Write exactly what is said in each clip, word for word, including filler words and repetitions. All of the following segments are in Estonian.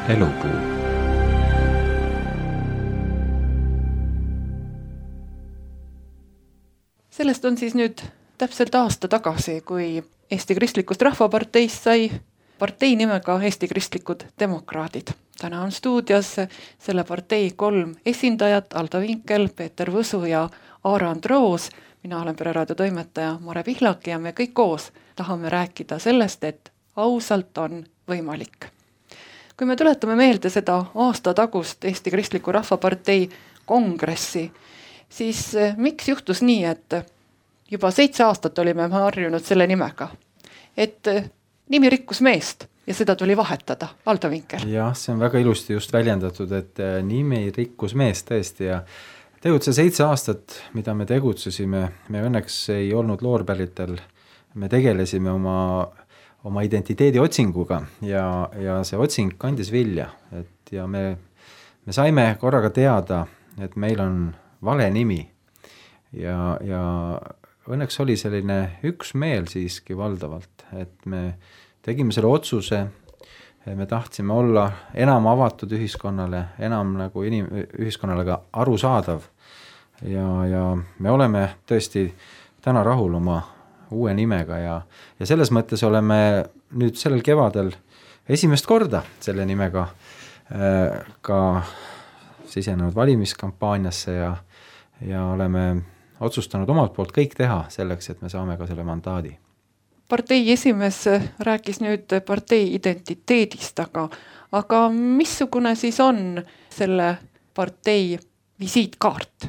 Elupuu. Sellest on siis nüüd täpselt aasta tagasi, kui Eesti Kristlikust Rahvaparteist sai partei nimega Eesti Kristlikud Demokraadid. Täna on stuudios selle partei kolm esindajat, Aldo Vinkel, Peeter Võsu ja Aarand Roos. Mina olen Pereraadio toimetaja Mare Pihlak ja me kõik koos tahame rääkida sellest, et ausalt on võimalik. Kui me tuletame meelde seda aasta tagust Eesti Kristliku Rahvapartei kongressi, siis miks juhtus nii, et juba seitse aastat olime harjunud selle nimega, et nimi rikkus meest ja seda tuli vahetada. Aldo Vinkel. Jah, see on väga ilusti just väljendatud, et nimi rikkus meest tõesti ja tegutse seitse aastat, mida me tegutsesime, me õnneks ei olnud loorpäritel, me tegelesime oma, oma identiteedi otsinguga ja, ja see otsing kandis vilja, et ja me, me saime korraga teada, et meil on vale nimi ja, ja õnneks oli selline üksmeel siiski valdavalt, et me tegime selle otsuse, me tahtsime olla enam avatud ühiskonnale, enam nagu inim, ühiskonnale ka arusaadav ja, ja me oleme tõesti täna rahul oma uue nimega ja, ja selles mõttes oleme nüüd sellel kevadel esimest korda selle nimega äh, ka sisenenud valimiskampaaniasse ja, ja oleme otsustanud omalt poolt kõik teha selleks, et me saame ka selle mandaadi. Partei esimees rääkis nüüd partei identiteedist, aga, aga missugune siis on selle partei visiitkaart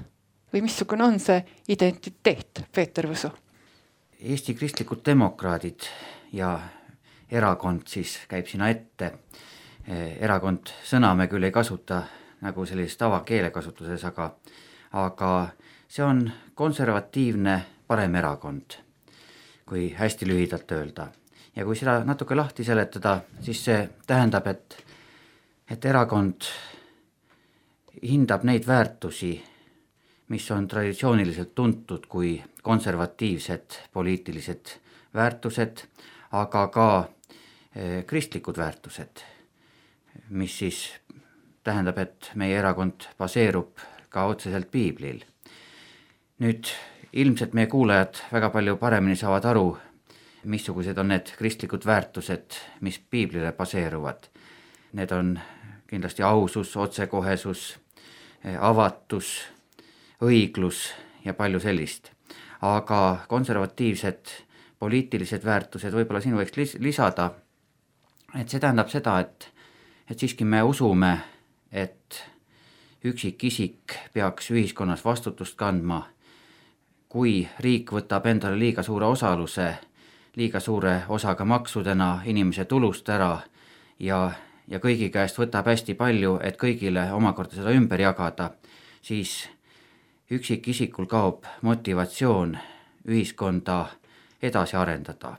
või missugune on see identiteet, Peeter Võsu? Eesti Kristlikud Demokraadid ja erakond siis käib sinna ette. Erakond sõna me küll ei kasuta nagu sellist tavakeelekasutuses, aga, aga see on konservatiivne parem erakond, kui hästi lühidalt öelda. Ja kui seda natuke lahti seletada, siis see tähendab, et, et erakond hindab neid väärtusi, mis on traditsiooniliselt tuntud kui konservatiivsed poliitilised väärtused, aga ka kristlikud väärtused, mis siis tähendab, et meie erakond baseerub ka otseselt piiblil. Nüüd ilmselt meie kuulajad väga palju paremini saavad aru, missugused on need kristlikud väärtused, mis piiblile baseeruvad. Need on kindlasti ausus, otsekohesus, avatus, õiglus ja palju sellist. Aga konservatiivsed poliitilised väärtused võib-olla siin võiks lisada, et see tähendab seda, et, et siiski me usume, et üksik isik peaks ühiskonnas vastutust kandma, kui riik võtab endale liiga suure osaluse, liiga suure osaga maksudena inimese tulust ära ja, ja kõigi käest võtab hästi palju, et kõigile omakorda seda ümber jagada, siis üksik isikul kaob motivatsioon ühiskonda edasi arendada.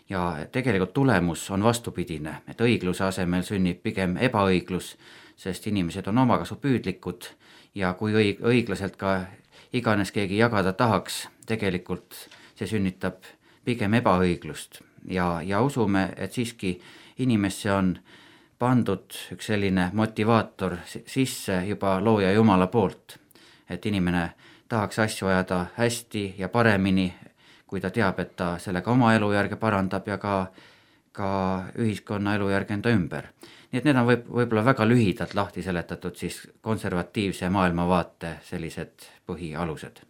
Ja tegelikult tulemus on vastupidine, et õigluse asemel sünnib pigem ebaõiglus, sest inimesed on omakasupüüdlikud ja kui õig- õiglaselt ka iganes keegi jagada tahaks, tegelikult see sünnitab pigem ebaõiglust ja, ja usume, et siiski inimesse on pandud üks selline motivaator sisse juba looja Jumala poolt, et inimene tahaks asju ajada hästi ja paremini, kui ta teab, et ta sellega oma elujärge parandab ja ka, ka ühiskonna elujärge enda ümber. Nii et need on võib, võib-olla väga lühidalt lahti seletatud siis konservatiivse maailmavaate sellised põhialused.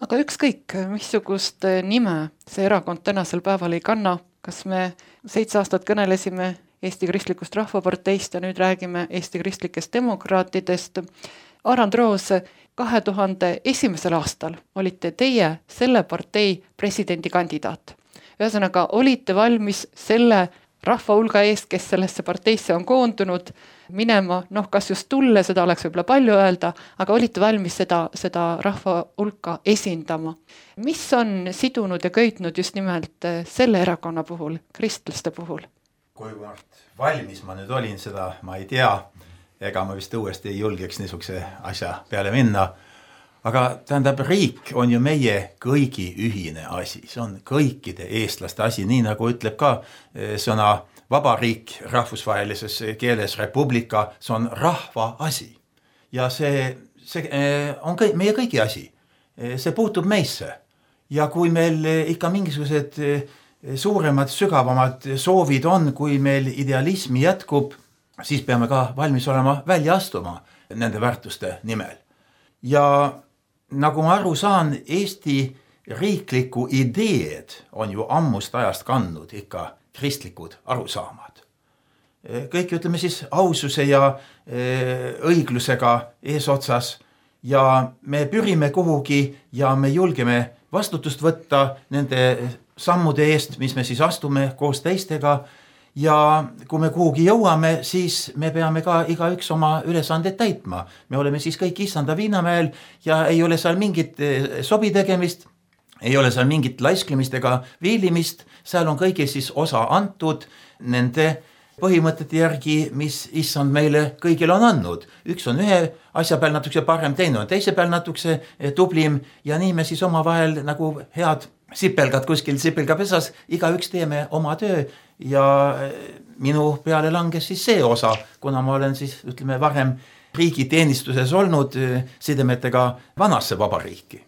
Aga ükskõik, missugust nime see erakond tänasel päeval ei kanna, kas me seitse aastat kõnelesime Eesti Kristlikust Rahvaparteist ja nüüd räägime Eesti Kristlikest Demokraatidest. Aarand Roos, kahe tuhande esimesel aastal olite teie selle partei presidendikandidaat. Ühesõnaga, olite valmis selle rahva hulga eest, kes sellesse parteisse on koondunud, minema, noh, kas just tulle, seda oleks võib-olla palju öelda, aga olite valmis seda, seda rahva hulka esindama. Mis on sidunud ja köitnud just nimelt selle erakonna puhul, kristlaste puhul? Kuivõrd valmis ma nüüd olin, seda ma ei tea, ega ma vist uuesti ei julgeks niisuguse asja peale minna. Aga tähendab, riik on ju meie kõigi ühine asi, see on kõikide eestlaste asi, nii nagu ütleb ka sõna vabariik rahvusvahelises keeles republika, see on rahva asi. Ja see, see on kõik, meie kõigi asi. See puutub meisse. Ja kui meil ikka mingisugused suuremad, sügavamad soovid on, kui meil idealismi jätkub, siis peame ka valmis olema välja astuma nende väärtuste nimel. Ja nagu ma aru saan, Eesti riikliku ideed on ju ammust ajast kandnud ikka kristlikud arusaamad. Kõik ütleme siis aususe ja õiglusega eesotsas ja me pürime kuhugi ja me julgeme vastutust võtta nende sammude eest, mis me siis astume koos teistega ja kui me kuhugi jõuame, siis me peame ka igaüks oma ülesanded täitma. Me oleme siis kõik Issanda Viinamäel ja ei ole seal mingit sobi tegemist, ei ole seal mingit laisklemist ega viilimist, seal on kõigil siis osa antud nende põhimõtete järgi, mis Issand meile kõigil on andnud. Üks on ühe asja peal natukese parem, teine on teise peal natukese tublim ja nii me siis oma vahel nagu head sipelgad kuskil sipelgapesas, igaüks teeme oma töö ja minu peale langes siis see osa, kuna ma olen siis ütleme varem riigiteenistuses olnud sidemetega vanasse vabariiki.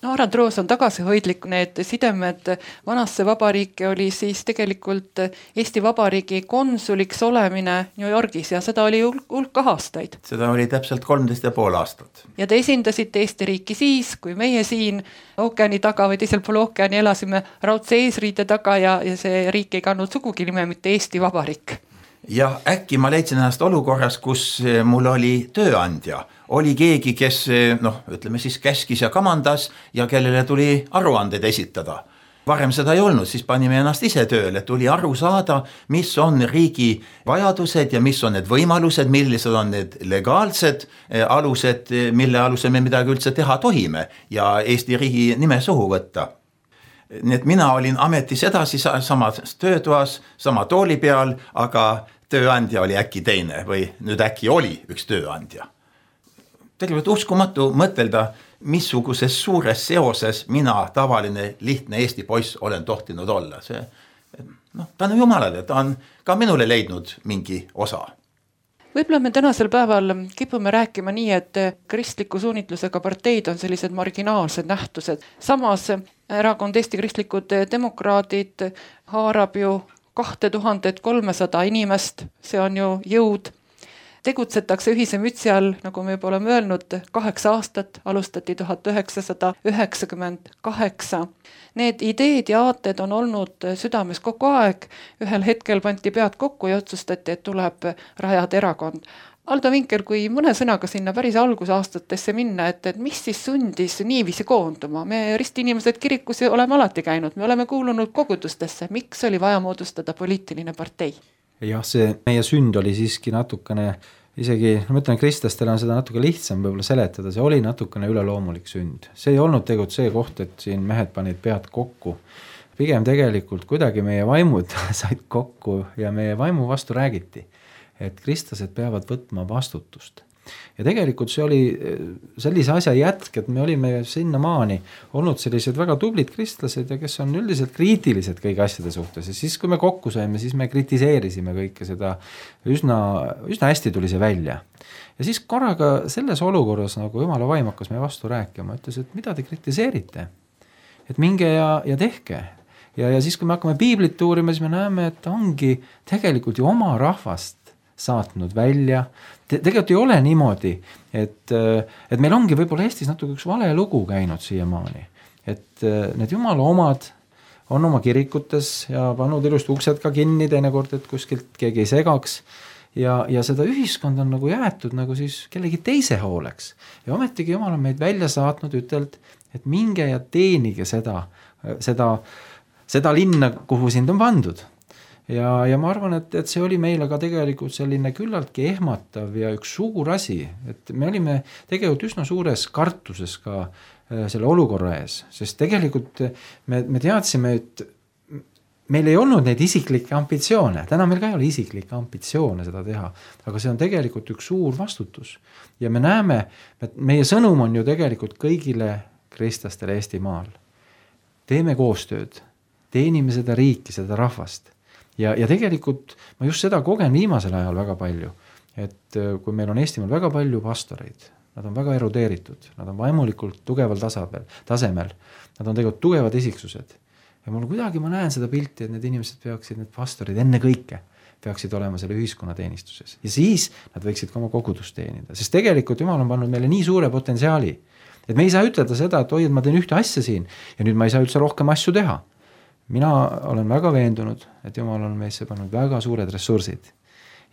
No Arand Roos on tagasihoidlik, need sidemed vanasse vabariiki oli siis tegelikult Eesti Vabariigi konsuliks olemine New Yorgis ja seda oli hulk aastaid. Seda oli täpselt kolmteist ja pool aastat. Ja te esindasite Eesti riiki siis, kui meie siin ookeani taga või teisel pool ookeani elasime raudse eesriide taga ja, ja see riik ei kandnud sugugi nime mitte Eesti Vabariik. Ja äkki ma leidsin ennast olukorras, kus mul oli tööandja. Oli keegi, kes noh, ütleme siis käskis ja kamandas ja kellele tuli aruanded esitada. Varem seda ei olnud, siis panime ennast ise tööle, tuli aru saada, mis on riigi vajadused ja mis on need võimalused, millised on need legaalsed alused, mille alusel me midagi üldse teha tohime ja Eesti riigi nime suhu võtta. Nii et mina olin ametis edasi samas töötoas, sama tooli peal, aga tööandja oli äkki teine või nüüd äkki oli üks tööandja. Tegelikult uskumatu mõtelda, missuguses suures seoses mina, tavaline, lihtne Eesti poiss, olen tohtinud olla. See, no, ta on jumalale, ta on ka minule leidnud mingi osa. Võib-olla me tänasel päeval kipume rääkima nii, et kristliku suunitlusega parteid on sellised marginaalsed nähtused. Samas erakond Eesti Kristlikud Demokraadid haarab ju kaks tuhat kolmsada inimest, see on ju jõud. Tegutsetakse ühise mütsi all, nagu me juba oleme öelnud, kaheksa aastat, alustati tuhat üheksasada üheksakümmend kaheksa. Need ideed ja aated on olnud südames kogu aeg, ühel hetkel pandi pead kokku ja otsustati, et tuleb rajada erakond. Aldo Vinkel, kui mõne sõnaga sinna päris algusaastatesse minna, et, et mis siis sundis niiviisi koonduma? Me ristiinimesed kirikus oleme alati käinud, me oleme kuulunud kogudustesse, miks oli vaja moodustada poliitiline partei? Jah, see meie sünd oli siiski natukene, isegi, ma ütlen, kristlastel on seda natuke lihtsam võib-olla seletada, see oli natukene üleloomulik sünd. See ei olnud tegelikult see koht, et siin mehed panid pead kokku. Pigem tegelikult kuidagi meie vaimud said kokku ja meie vaimu vastu räägiti, et kristlased peavad võtma vastutust. Ja tegelikult see oli sellise asja jätk, et me olime sinna maani olnud sellised väga tublid kristlased ja kes on üldiselt kriitilised kõigi asjade suhtes. Ja siis, kui me kokku saime, siis me kritiseerisime kõike seda, üsna, üsna hästi tuli see välja. Ja siis korraga selles olukorras, nagu Jumala vaim hakkas meie vastu rääkima, ütles, et mida te kritiseerite? Et minge ja, ja tehke. Ja, ja siis, kui me hakkame piiblit uurima, siis me näeme, et ongi tegelikult ju oma rahvast saatnud välja. Te, tegelikult ei ole niimoodi, et, et meil ongi võib-olla Eestis natuke üks vale lugu käinud siiamaani. Et need Jumala omad on oma kirikutes ja pannud ilust uksed ka kinni teinekord, et kuskilt keegi ei segaks. Ja, ja seda ühiskond on nagu jäetud nagu siis kellegi teise hooleks. Ja ometigi Jumal on meid välja saatnud ütelt, et minge ja teenige seda, seda, seda linna, kuhu sind on pandud. Ja, ja ma arvan, et, et see oli meile ka tegelikult selline küllaltki ehmatav ja üks suur asi, et me olime tegelikult üsna suures kartuses ka selle olukorra ees, sest tegelikult me, me teadsime, et meil ei olnud neid isiklikke ambitsioone, täna meil ka ei ole isiklikke ambitsioone seda teha, aga see on tegelikult üks suur vastutus ja me näeme, et meie sõnum on ju tegelikult kõigile kristlastele Eestimaal. Teeme koostööd, teenime seda riiki, seda rahvast. ja, ja tegelikult ma just seda kogen viimasel ajal väga palju, et kui meil on Eestimaal väga palju pastoreid, nad on väga erudeeritud, nad on vaimulikult tugeval tasapel, tasemel, nad on tegelikult tugevad isiksused ja mul kuidagi ma näen seda pilti, et need inimesed peaksid, need pastorid enne kõike peaksid olema selle ühiskonna teenistuses ja siis nad võiksid ka oma kogudust teenida, sest tegelikult Jumal on pannud meile nii suure potentsiaali, et me ei saa ütelda seda, et oi, et ma teen ühte asja siin ja nüüd ma ei saa üldse rohkem asju teha. Mina olen väga veendunud, et Jumal on meisse pannud väga suured ressursid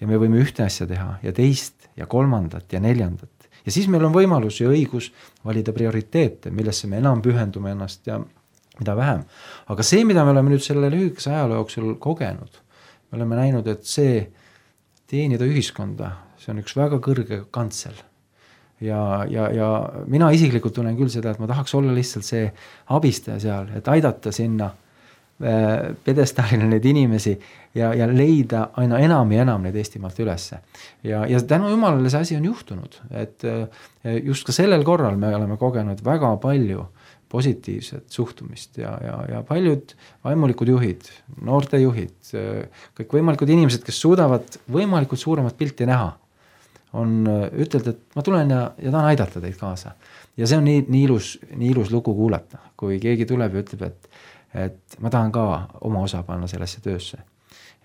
ja me võime ühte asja teha ja teist ja kolmandat ja neljandat. Ja siis meil on võimalus ja õigus valida prioriteete, millesse me enam pühendume ennast ja mida vähem. Aga see, mida me oleme nüüd selle lühikese ajaloo jooksul kogenud, me oleme näinud, et see teenida ühiskonda, see on üks väga kõrge kantsel. Ja, ja, ja mina isiklikult tunnen küll seda, et ma tahaks olla lihtsalt see abistaja seal, et aidata sinna pedestaalile neid inimesi ja, ja leida aina enam ja enam neid Eestimaalt ülesse. Ja, ja tänu Jumalale see asi on juhtunud, et just ka sellel korral me oleme kogenud väga palju positiivset suhtumist ja, ja, ja paljud vaimulikud juhid, noorte juhid, kõik võimalikud inimesed, kes suudavad võimalikult suuremat pilti näha, on ütelnud, et ma tulen ja, ja tahan aidata teid kaasa. Ja see on nii, nii, ilus, nii ilus lugu kuulata, kui keegi tuleb ja ütleb, et et ma tahan ka oma osa panna sellesse töösse.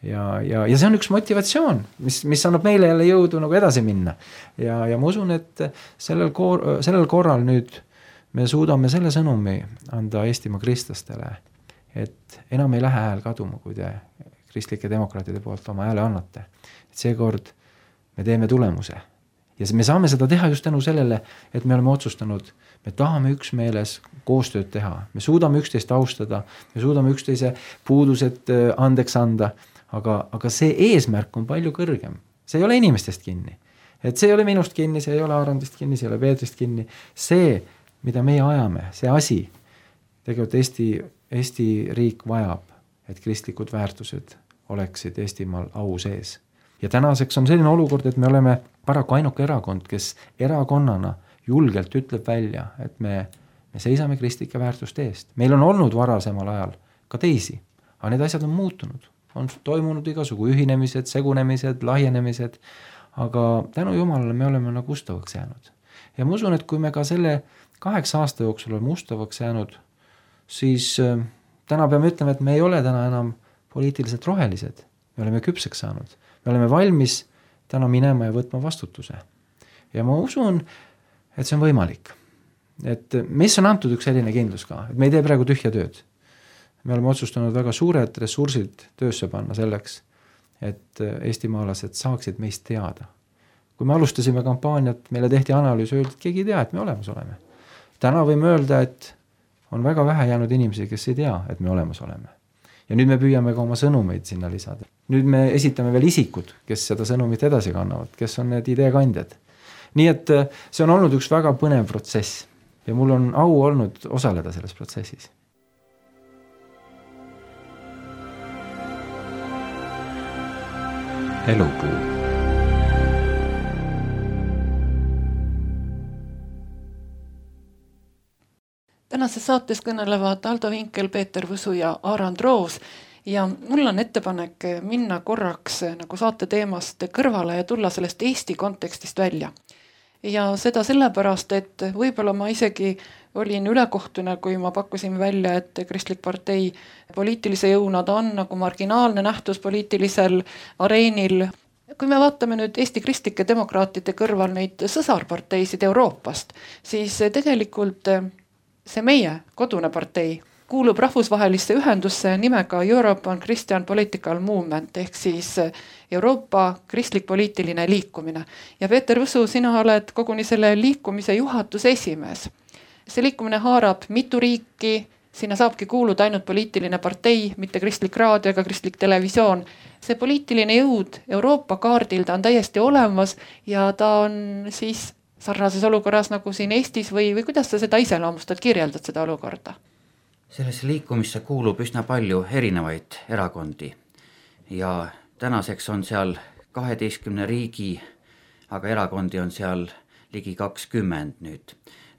Ja, ja, ja see on üks motivatsioon, mis, mis annab meile jälle jõudu nagu edasi minna. Ja, ja ma usun, et sellel, kor- sellel korral nüüd me suudame selle sõnumi anda Eestimaa kristlastele, et enam ei lähe hääl kaduma, kui te kristlike demokraatide poolt oma hääle annate. Et seekord me teeme tulemuse. Ja me saame seda teha just tänu sellele, et me oleme otsustanud, me tahame üksmeeles koostööd teha, me suudame üksteist austada, me suudame üksteise puudused andeks anda, aga, aga see eesmärk on palju kõrgem. See ei ole inimestest kinni. Et see ei ole minust kinni, see ei ole Arandist kinni, see ei ole Peetrist kinni. See, mida meie ajame, see asi, tegelikult Eesti, Eesti riik vajab, et kristlikud väärtused oleksid Eestimaal au sees. Ja tänaseks on selline olukord, et me oleme paraku ainuke erakond, kes erakonnana julgelt ütleb välja, et me, me seisame kristlike väärtuste eest. Meil on olnud varasemal ajal ka teisi, aga need asjad on muutunud. On toimunud igasugu ühinemised, segunemised, lahjenemised, aga tänu Jumalale me oleme nagu ustavaks jäänud. Ja ma usun, et kui me ka selle kaheksa aasta jooksul oleme ustavaks jäänud, siis äh, täna peame ütlema, et me ei ole täna enam poliitiliselt rohelised. Me oleme küpseks saanud. Me oleme valmis täna minema ja võtma vastutuse. Ja ma usun, et see on võimalik. Et meisse on antud üks selline kindlus ka, et me ei tee praegu tühja tööd. Me oleme otsustanud väga suured ressursid töösse panna selleks, et eestimaalased saaksid meist teada. Kui me alustasime kampaaniat, meile tehti analüüs, öeldi, et keegi ei tea, et me olemas oleme. Täna võime öelda, et on väga vähe jäänud inimesi, kes ei tea, et me olemas oleme. Ja nüüd me püüame ka oma sõnumeid sinna lisada. Nüüd me esitame veel isikud, kes seda sõnumit edasi kannavad, kes on need ideekandjad. Nii et see on olnud üks väga põnev protsess ja mul on au olnud osaleda selles protsessis. Elupuu. Tänases saates kõnelevad Aldo Vinkel, Peeter Võsu ja Arand Roos ja mul on ettepanek minna korraks nagu saate teemast kõrvale ja tulla sellest Eesti kontekstist välja. Ja seda sellepärast, et võib-olla ma isegi olin ülekohtune, kui ma pakkusin välja, et Kristlik partei poliitilise jõuna ta on nagu marginaalne nähtus poliitilisel areenil. Kui me vaatame nüüd Eesti kristlike demokraatide kõrval neid sõsarparteisid Euroopast, siis tegelikult see meie kodune partei kuulub rahvusvahelisse ühendusse nimega European Christian Political Movement ehk siis Euroopa kristlik poliitiline liikumine. Ja Peeter Võsu, sina oled koguni selle liikumise juhatuse esimees. See liikumine haarab mitu riiki, sinna saabki kuuluda ainult poliitiline partei, mitte kristlik raadio ega kristlik televisioon. See poliitiline jõud Euroopa kaardil ta on täiesti olemas ja ta on siis sarnases olukorras nagu siin Eestis või, või kuidas sa seda iseloomustad, kirjeldad seda olukorda? Sellesse liikumisse kuulub üsna palju erinevaid erakondi ja tänaseks on seal kaheteistkümne riigi, aga erakondi on seal ligi kakskümmend nüüd.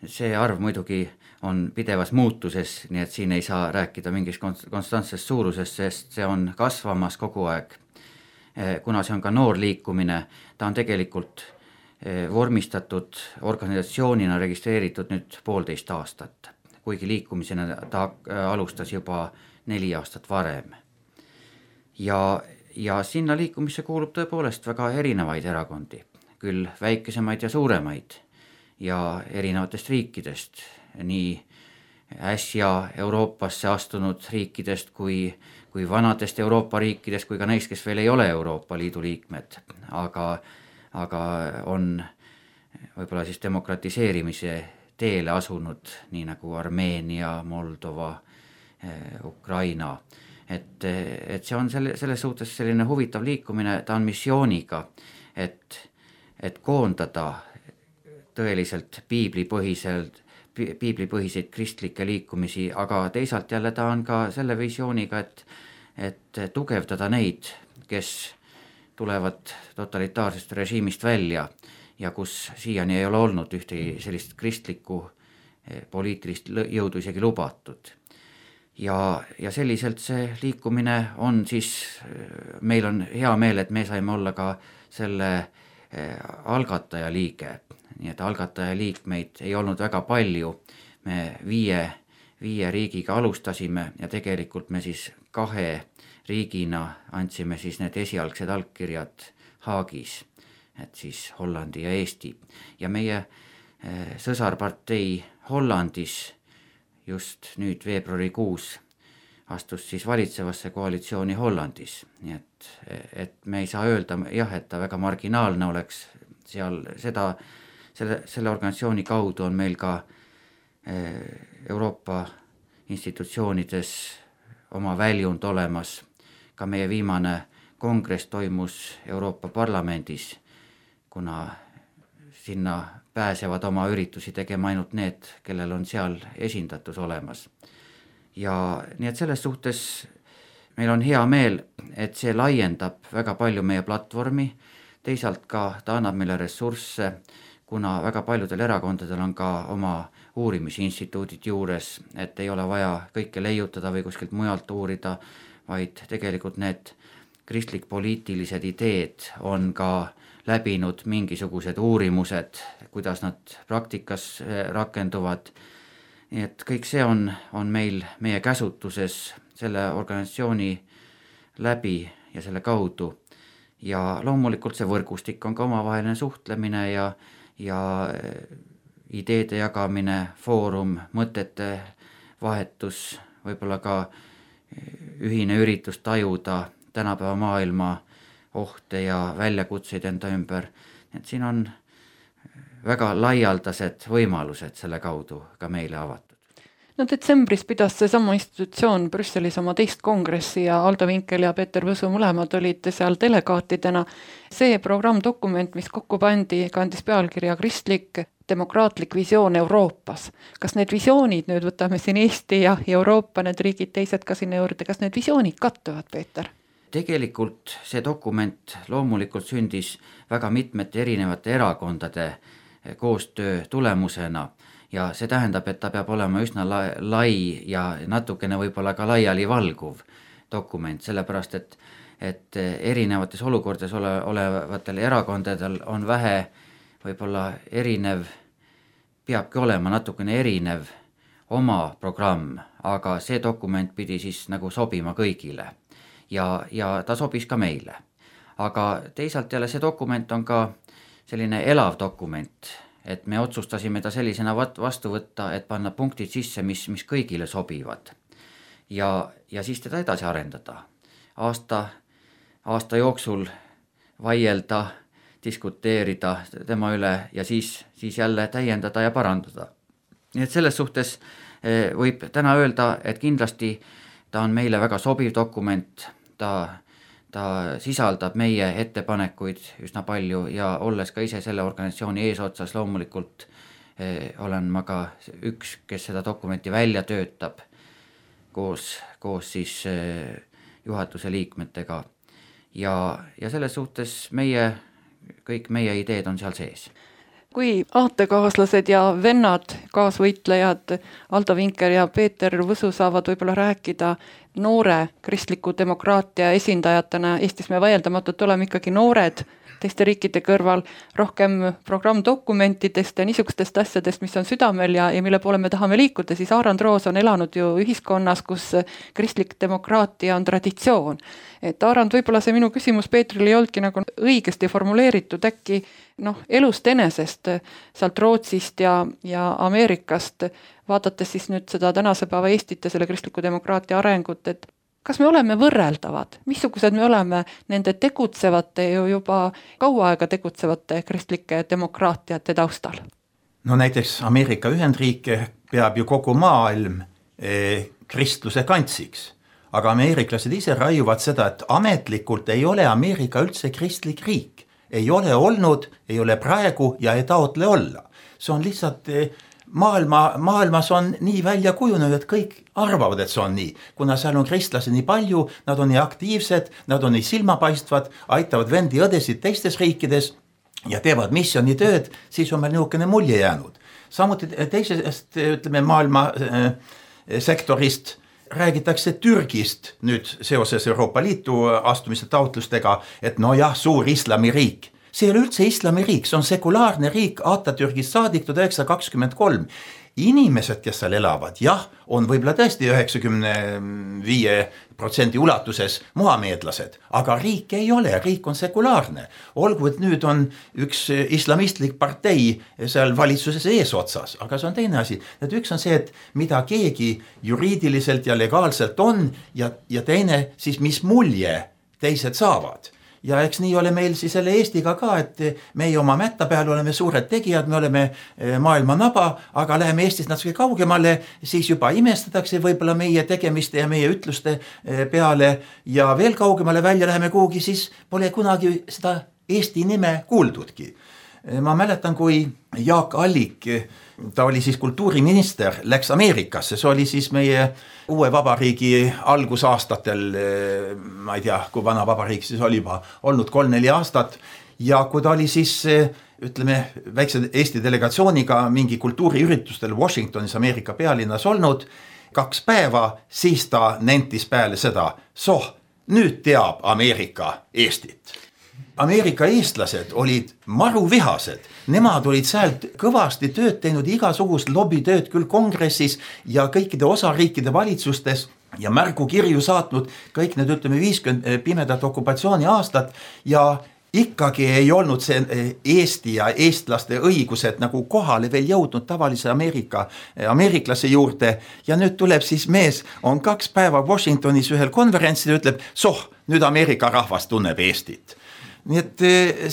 See arv muidugi on pidevas muutuses, nii et siin ei saa rääkida mingist konstantsest suurusest, sest see on kasvamas kogu aeg. Kuna see on ka noor liikumine, ta on tegelikult vormistatud organisatsioonina registreeritud nüüd poolteist aastat, kuigi liikumisena ta alustas juba neli aastat varem. Ja, ja sinna liikumisse kuulub tõepoolest väga erinevaid erakondi, küll väikesemaid ja suuremaid ja erinevatest riikidest, nii äsja Euroopasse astunud riikidest kui, kui vanadest Euroopa riikidest, kui ka neist, kes veel ei ole Euroopa Liidu liikmed, aga, aga on võib-olla siis demokratiseerimise teele asunud, nii nagu Armeenia, Moldova, Ukraina. Et, et see on selle, selles suhtes selline huvitav liikumine, ta on missiooniga, et, et koondada tõeliselt piiblipõhiselt, piiblipõhiseid kristlikke liikumisi, aga teisalt jälle ta on ka selle visiooniga, et, et tugevdada neid, kes tulevad totalitaarsest režiimist välja ja kus siiani ei ole olnud ühtegi sellist kristlikku poliitilist jõudu isegi lubatud. Ja, ja selliselt see liikumine on siis, meil on hea meel, et me saime olla ka selle algataja liige, nii et algataja liikmeid ei olnud väga palju, me viie, viie riigiga alustasime ja tegelikult me siis kahe riigina andsime siis need esialgsed allkirjad Haagis, et siis Hollandi ja Eesti. Ja meie sõsarpartei Hollandis just nüüd veebruarikuus astus siis valitsevasse koalitsiooni Hollandis, nii et, et me ei saa öelda jah, et ta väga marginaalne oleks seal, seda, selle, selle organisatsiooni kaudu on meil ka Euroopa institutsioonides oma väljund olemas, ka meie viimane kongress toimus Euroopa Parlamendis, kuna sinna pääsevad oma üritusi tegema ainult need, kellel on seal esindatus olemas. Ja nii et selles suhtes meil on hea meel, et see laiendab väga palju meie platvormi, teisalt ka ta annab meile ressursse, kuna väga paljudel erakondadel on ka oma uurimisinstituudid juures, et ei ole vaja kõike leiutada või kuskilt mujalt uurida, vaid tegelikult need kristlik-poliitilised ideed on ka läbinud mingisugused uurimused, kuidas nad praktikas rakenduvad. Nii et kõik see on, on meil meie käsutuses selle organisatsiooni läbi ja selle kaudu. Ja loomulikult see võrgustik on ka omavaheline suhtlemine ja, ja ideede jagamine, foorum, mõtete vahetus, võib-olla ka ühine üritus tajuda tänapäeva maailma ohte ja väljakutseid enda ümber. Et siin on väga laialdased võimalused selle kaudu ka meile avatud. No detsembris pidas see sama institutsioon Brüsselis oma teist kongressi ja Aldo Vinkel ja Peeter Võsu mõlemad olid seal delegaatidena. See programmdokument, mis kokku pandi, kandis pealkirja Kristlik demokraatlik visioon Euroopas. Kas need visioonid, nüüd võtame siin Eesti ja Euroopa, need riigid teised ka sinna juurde, kas need visioonid kattuvad, Peeter? Tegelikult see dokument loomulikult sündis väga mitmete erinevate erakondade koostöö tulemusena ja see tähendab, et ta peab olema üsna lai ja natukene võib-olla ka laiali valguv dokument, sellepärast et, et erinevates olukordades ole, olevatel erakondadel on vähe võib-olla erinev, peabki olema natukene erinev oma programm, aga see dokument pidi siis nagu sobima kõigile. Ja, ja ta sobis ka meile. Aga teisalt jälle see dokument on ka selline elav dokument, et me otsustasime ta sellisena vastu võtta, et panna punktid sisse, mis, mis kõigile sobivad. Ja, ja siis teda edasi arendada. Aasta, aasta jooksul vaielda, diskuteerida tema üle ja siis, siis jälle täiendada ja parandada. Nii et selles suhtes võib täna öelda, et kindlasti ta on meile väga sobiv dokument, ta, ta sisaldab meie ettepanekuid üsna palju ja olles ka ise selle organisatsiooni eesotsas loomulikult eh, olen ma ka üks, kes seda dokumenti välja töötab koos, koos siis eh, juhatuse liikmetega ja, ja selles suhtes meie, kõik meie ideed on seal sees. kui aatekaaslased ja vennad, kaasvõitlejad Aldo Vinker ja Peeter Võsu saavad võib-olla rääkida noore kristliku demokraatia esindajatena, Eestis me vaieldamatult oleme ikkagi noored teiste riikide kõrval, rohkem programmdokumentidest ja niisugustest asjadest, mis on südamel ja, ja mille poole me tahame liikuda, siis Aarand Roos on elanud ju ühiskonnas, kus kristlik demokraatia on traditsioon. Et Aarand, võib-olla see minu küsimus Peetrile ei olnudki nagu õigesti formuleeritud, äkki noh, elust enesest, sealt Rootsist ja, ja Ameerikast, vaadates siis nüüd seda tänase päeva Eestit ja selle kristliku demokraatia arengut, et kas me oleme võrreldavad, missugused me oleme nende tegutsevate ju juba kaua aega tegutsevate kristlike demokraatiate taustal? No näiteks Ameerika Ühendriike peab ju kogu maailm eh, kristluse kantsiks, aga ameeriklased ise raiuvad seda, et ametlikult ei ole Ameerika üldse kristlik riik. Ei ole olnud, ei ole praegu ja ei taotle olla. See on lihtsalt eh, maailma, maailmas on nii välja kujunenud, et kõik arvavad, et see on nii. Kuna seal on kristlasi nii palju, nad on nii aktiivsed, nad on nii silmapaistvad, aitavad vendi õdesid teistes riikides ja teevad missionitööd, siis on meil niisugune mulje jäänud. Samuti teisest, ütleme, maailma äh, sektorist räägitakse Türgist nüüd seoses Euroopa Liitu astumise taotlustega, et no jah, suur islamiriik. See ei ole üldse islamiriik, see on sekulaarne riik Atatürgist saadik tuhat üheksasada kakskümmend kolm. Inimesed, kes seal elavad, jah, on võib-olla tõesti üheksakümmend viis protsenti ulatuses muhameedlased, aga riik ei ole, riik on sekulaarne. Olgu, et nüüd on üks islamistlik partei seal valitsuses eesotsas, aga see on teine asi. Et üks on see, et mida keegi juriidiliselt ja legaalselt on ja, ja teine siis mis mulje teised saavad. Ja eks nii ole meil siis selle Eestiga ka, et meie oma mätta peal oleme suured tegijad, me oleme maailma naba, aga läheme Eestist natuke kaugemale, siis juba imestatakse võib-olla meie tegemiste ja meie ütluste peale ja veel kaugemale välja läheme kuhugi, siis pole kunagi seda Eesti nime kuuldudki. Ma mäletan, kui Jaak Allik, ta oli siis kultuuriminister, läks Ameerikasse, see oli siis meie uue vabariigi algusaastatel, ma ei tea, kui vana vabariik siis oli juba olnud kolm-neli aastat ja kui ta oli siis, ütleme, väikse Eesti delegatsiooniga mingi kultuuriüritustel Washingtonis Ameerika pealinnas olnud kaks päeva, siis ta nentis peale seda, soh, nüüd teab Ameerika Eestit. Ameerika eestlased olid maruvihased, nemad olid sealt kõvasti tööd teinud, igasugust lobitööd küll kongressis ja kõikide osariikide valitsustes ja märgukirju saatnud kõik need, ütleme, viiskümmend pimedat okupatsiooni aastat ja ikkagi ei olnud see Eesti ja eestlaste õigused nagu kohale veel jõudnud tavalise Ameerika, ameeriklase juurde ja nüüd tuleb siis mees, on kaks päeva Washingtonis ühel konverentsil ja ütleb, soh, nüüd Ameerika rahvas tunneb Eestit. Nii et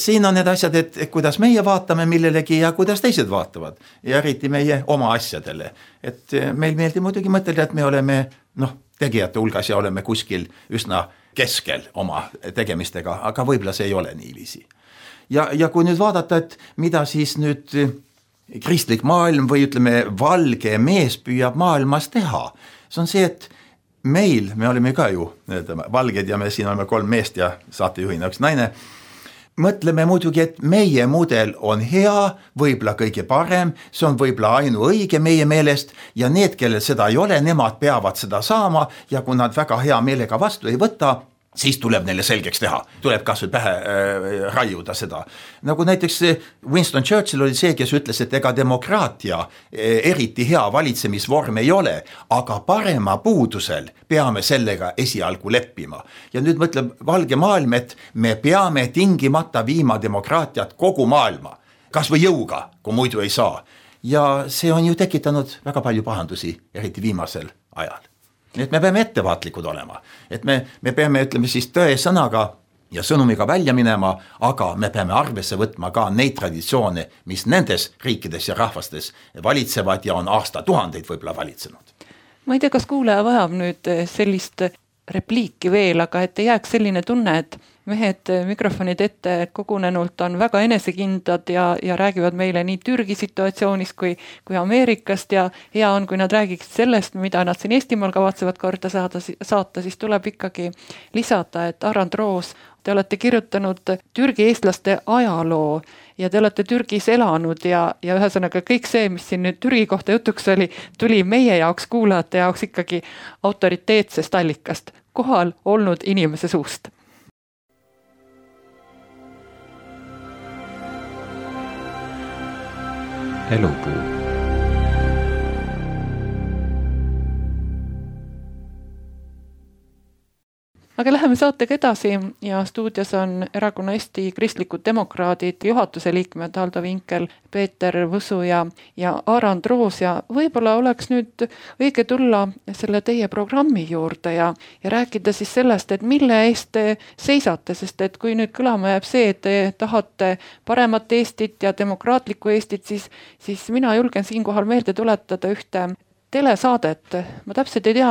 siin on need asjad, et kuidas meie vaatame millelegi ja kuidas teised vaatavad ja eriti meie oma asjadele. Et meil meeldib muidugi mõtelda, et me oleme noh, tegijate hulgas ja oleme kuskil üsna keskel oma tegemistega, aga võib-olla see ei ole niiviisi. Ja, ja kui nüüd vaadata, et mida siis nüüd kristlik maailm või ütleme valge mees püüab maailmas teha, see on see, et meil, me oleme ka ju valged ja me siin oleme kolm meest ja saatejuhina üks naine, mõtleme muidugi, et meie mudel on hea, võib-olla kõige parem, see on võib-olla ainu õige meie meelest ja need, kellel seda ei ole, nemad peavad seda saama ja kui nad väga hea meelega vastu ei võta, siis tuleb neile selgeks teha, tuleb kas või pähe äh, raiuda seda. Nagu näiteks Winston Churchill oli see, kes ütles, et ega demokraatia äh, eriti hea valitsemisvorm ei ole, aga parema puudusel peame sellega esialgu leppima. Ja nüüd mõtleb valge maailm, et me peame tingimata viima demokraatiat kogu maailma, kas või jõuga, kui muidu ei saa. Ja see on ju tekitanud väga palju pahandusi, eriti viimasel ajal. Nii et me peame ettevaatlikud olema, et me, me peame, ütleme siis tõe sõnaga ja sõnumiga välja minema, aga me peame arvesse võtma ka neid traditsioone, mis nendes riikides ja rahvastes valitsevad ja on aastatuhandeid võib-olla valitsenud. Ma ei tea, kas kuulaja vajab nüüd sellist repliiki veel, aga et ei jääks selline tunne, et mehed mikrofonid ette kogunenult on väga enesekindlad ja, ja räägivad meile nii Türgi situatsioonist kui, kui Ameerikast ja hea on, kui nad räägiksid sellest, mida nad siin Eestimaal kavatsevad korda saada, saata, siis tuleb ikkagi lisada, et Aran Troos, te olete kirjutanud Türgi eestlaste ajaloo ja te olete Türgis elanud ja, ja ühesõnaga kõik see, mis siin nüüd Türgi kohta jutuks oli, tuli meie jaoks kuulajate jaoks ikkagi autoriteetsest allikast, kohal olnud inimese suust. Elupuu. Aga läheme saatega edasi ja stuudios on erakonna Eesti Kristlikud Demokraadid juhatuse liikmed Haldo Vinkel, Peeter Võsu ja, ja Aran Troos ja võib-olla oleks nüüd õige tulla selle teie programmi juurde ja, ja rääkida siis sellest, et mille eest te seisate, sest et kui nüüd kõlama jääb see, et te tahate paremat Eestit ja demokraatlikku Eestit, siis, siis mina julgen siinkohal meelde tuletada ühte telesaadet. Ma täpselt ei tea,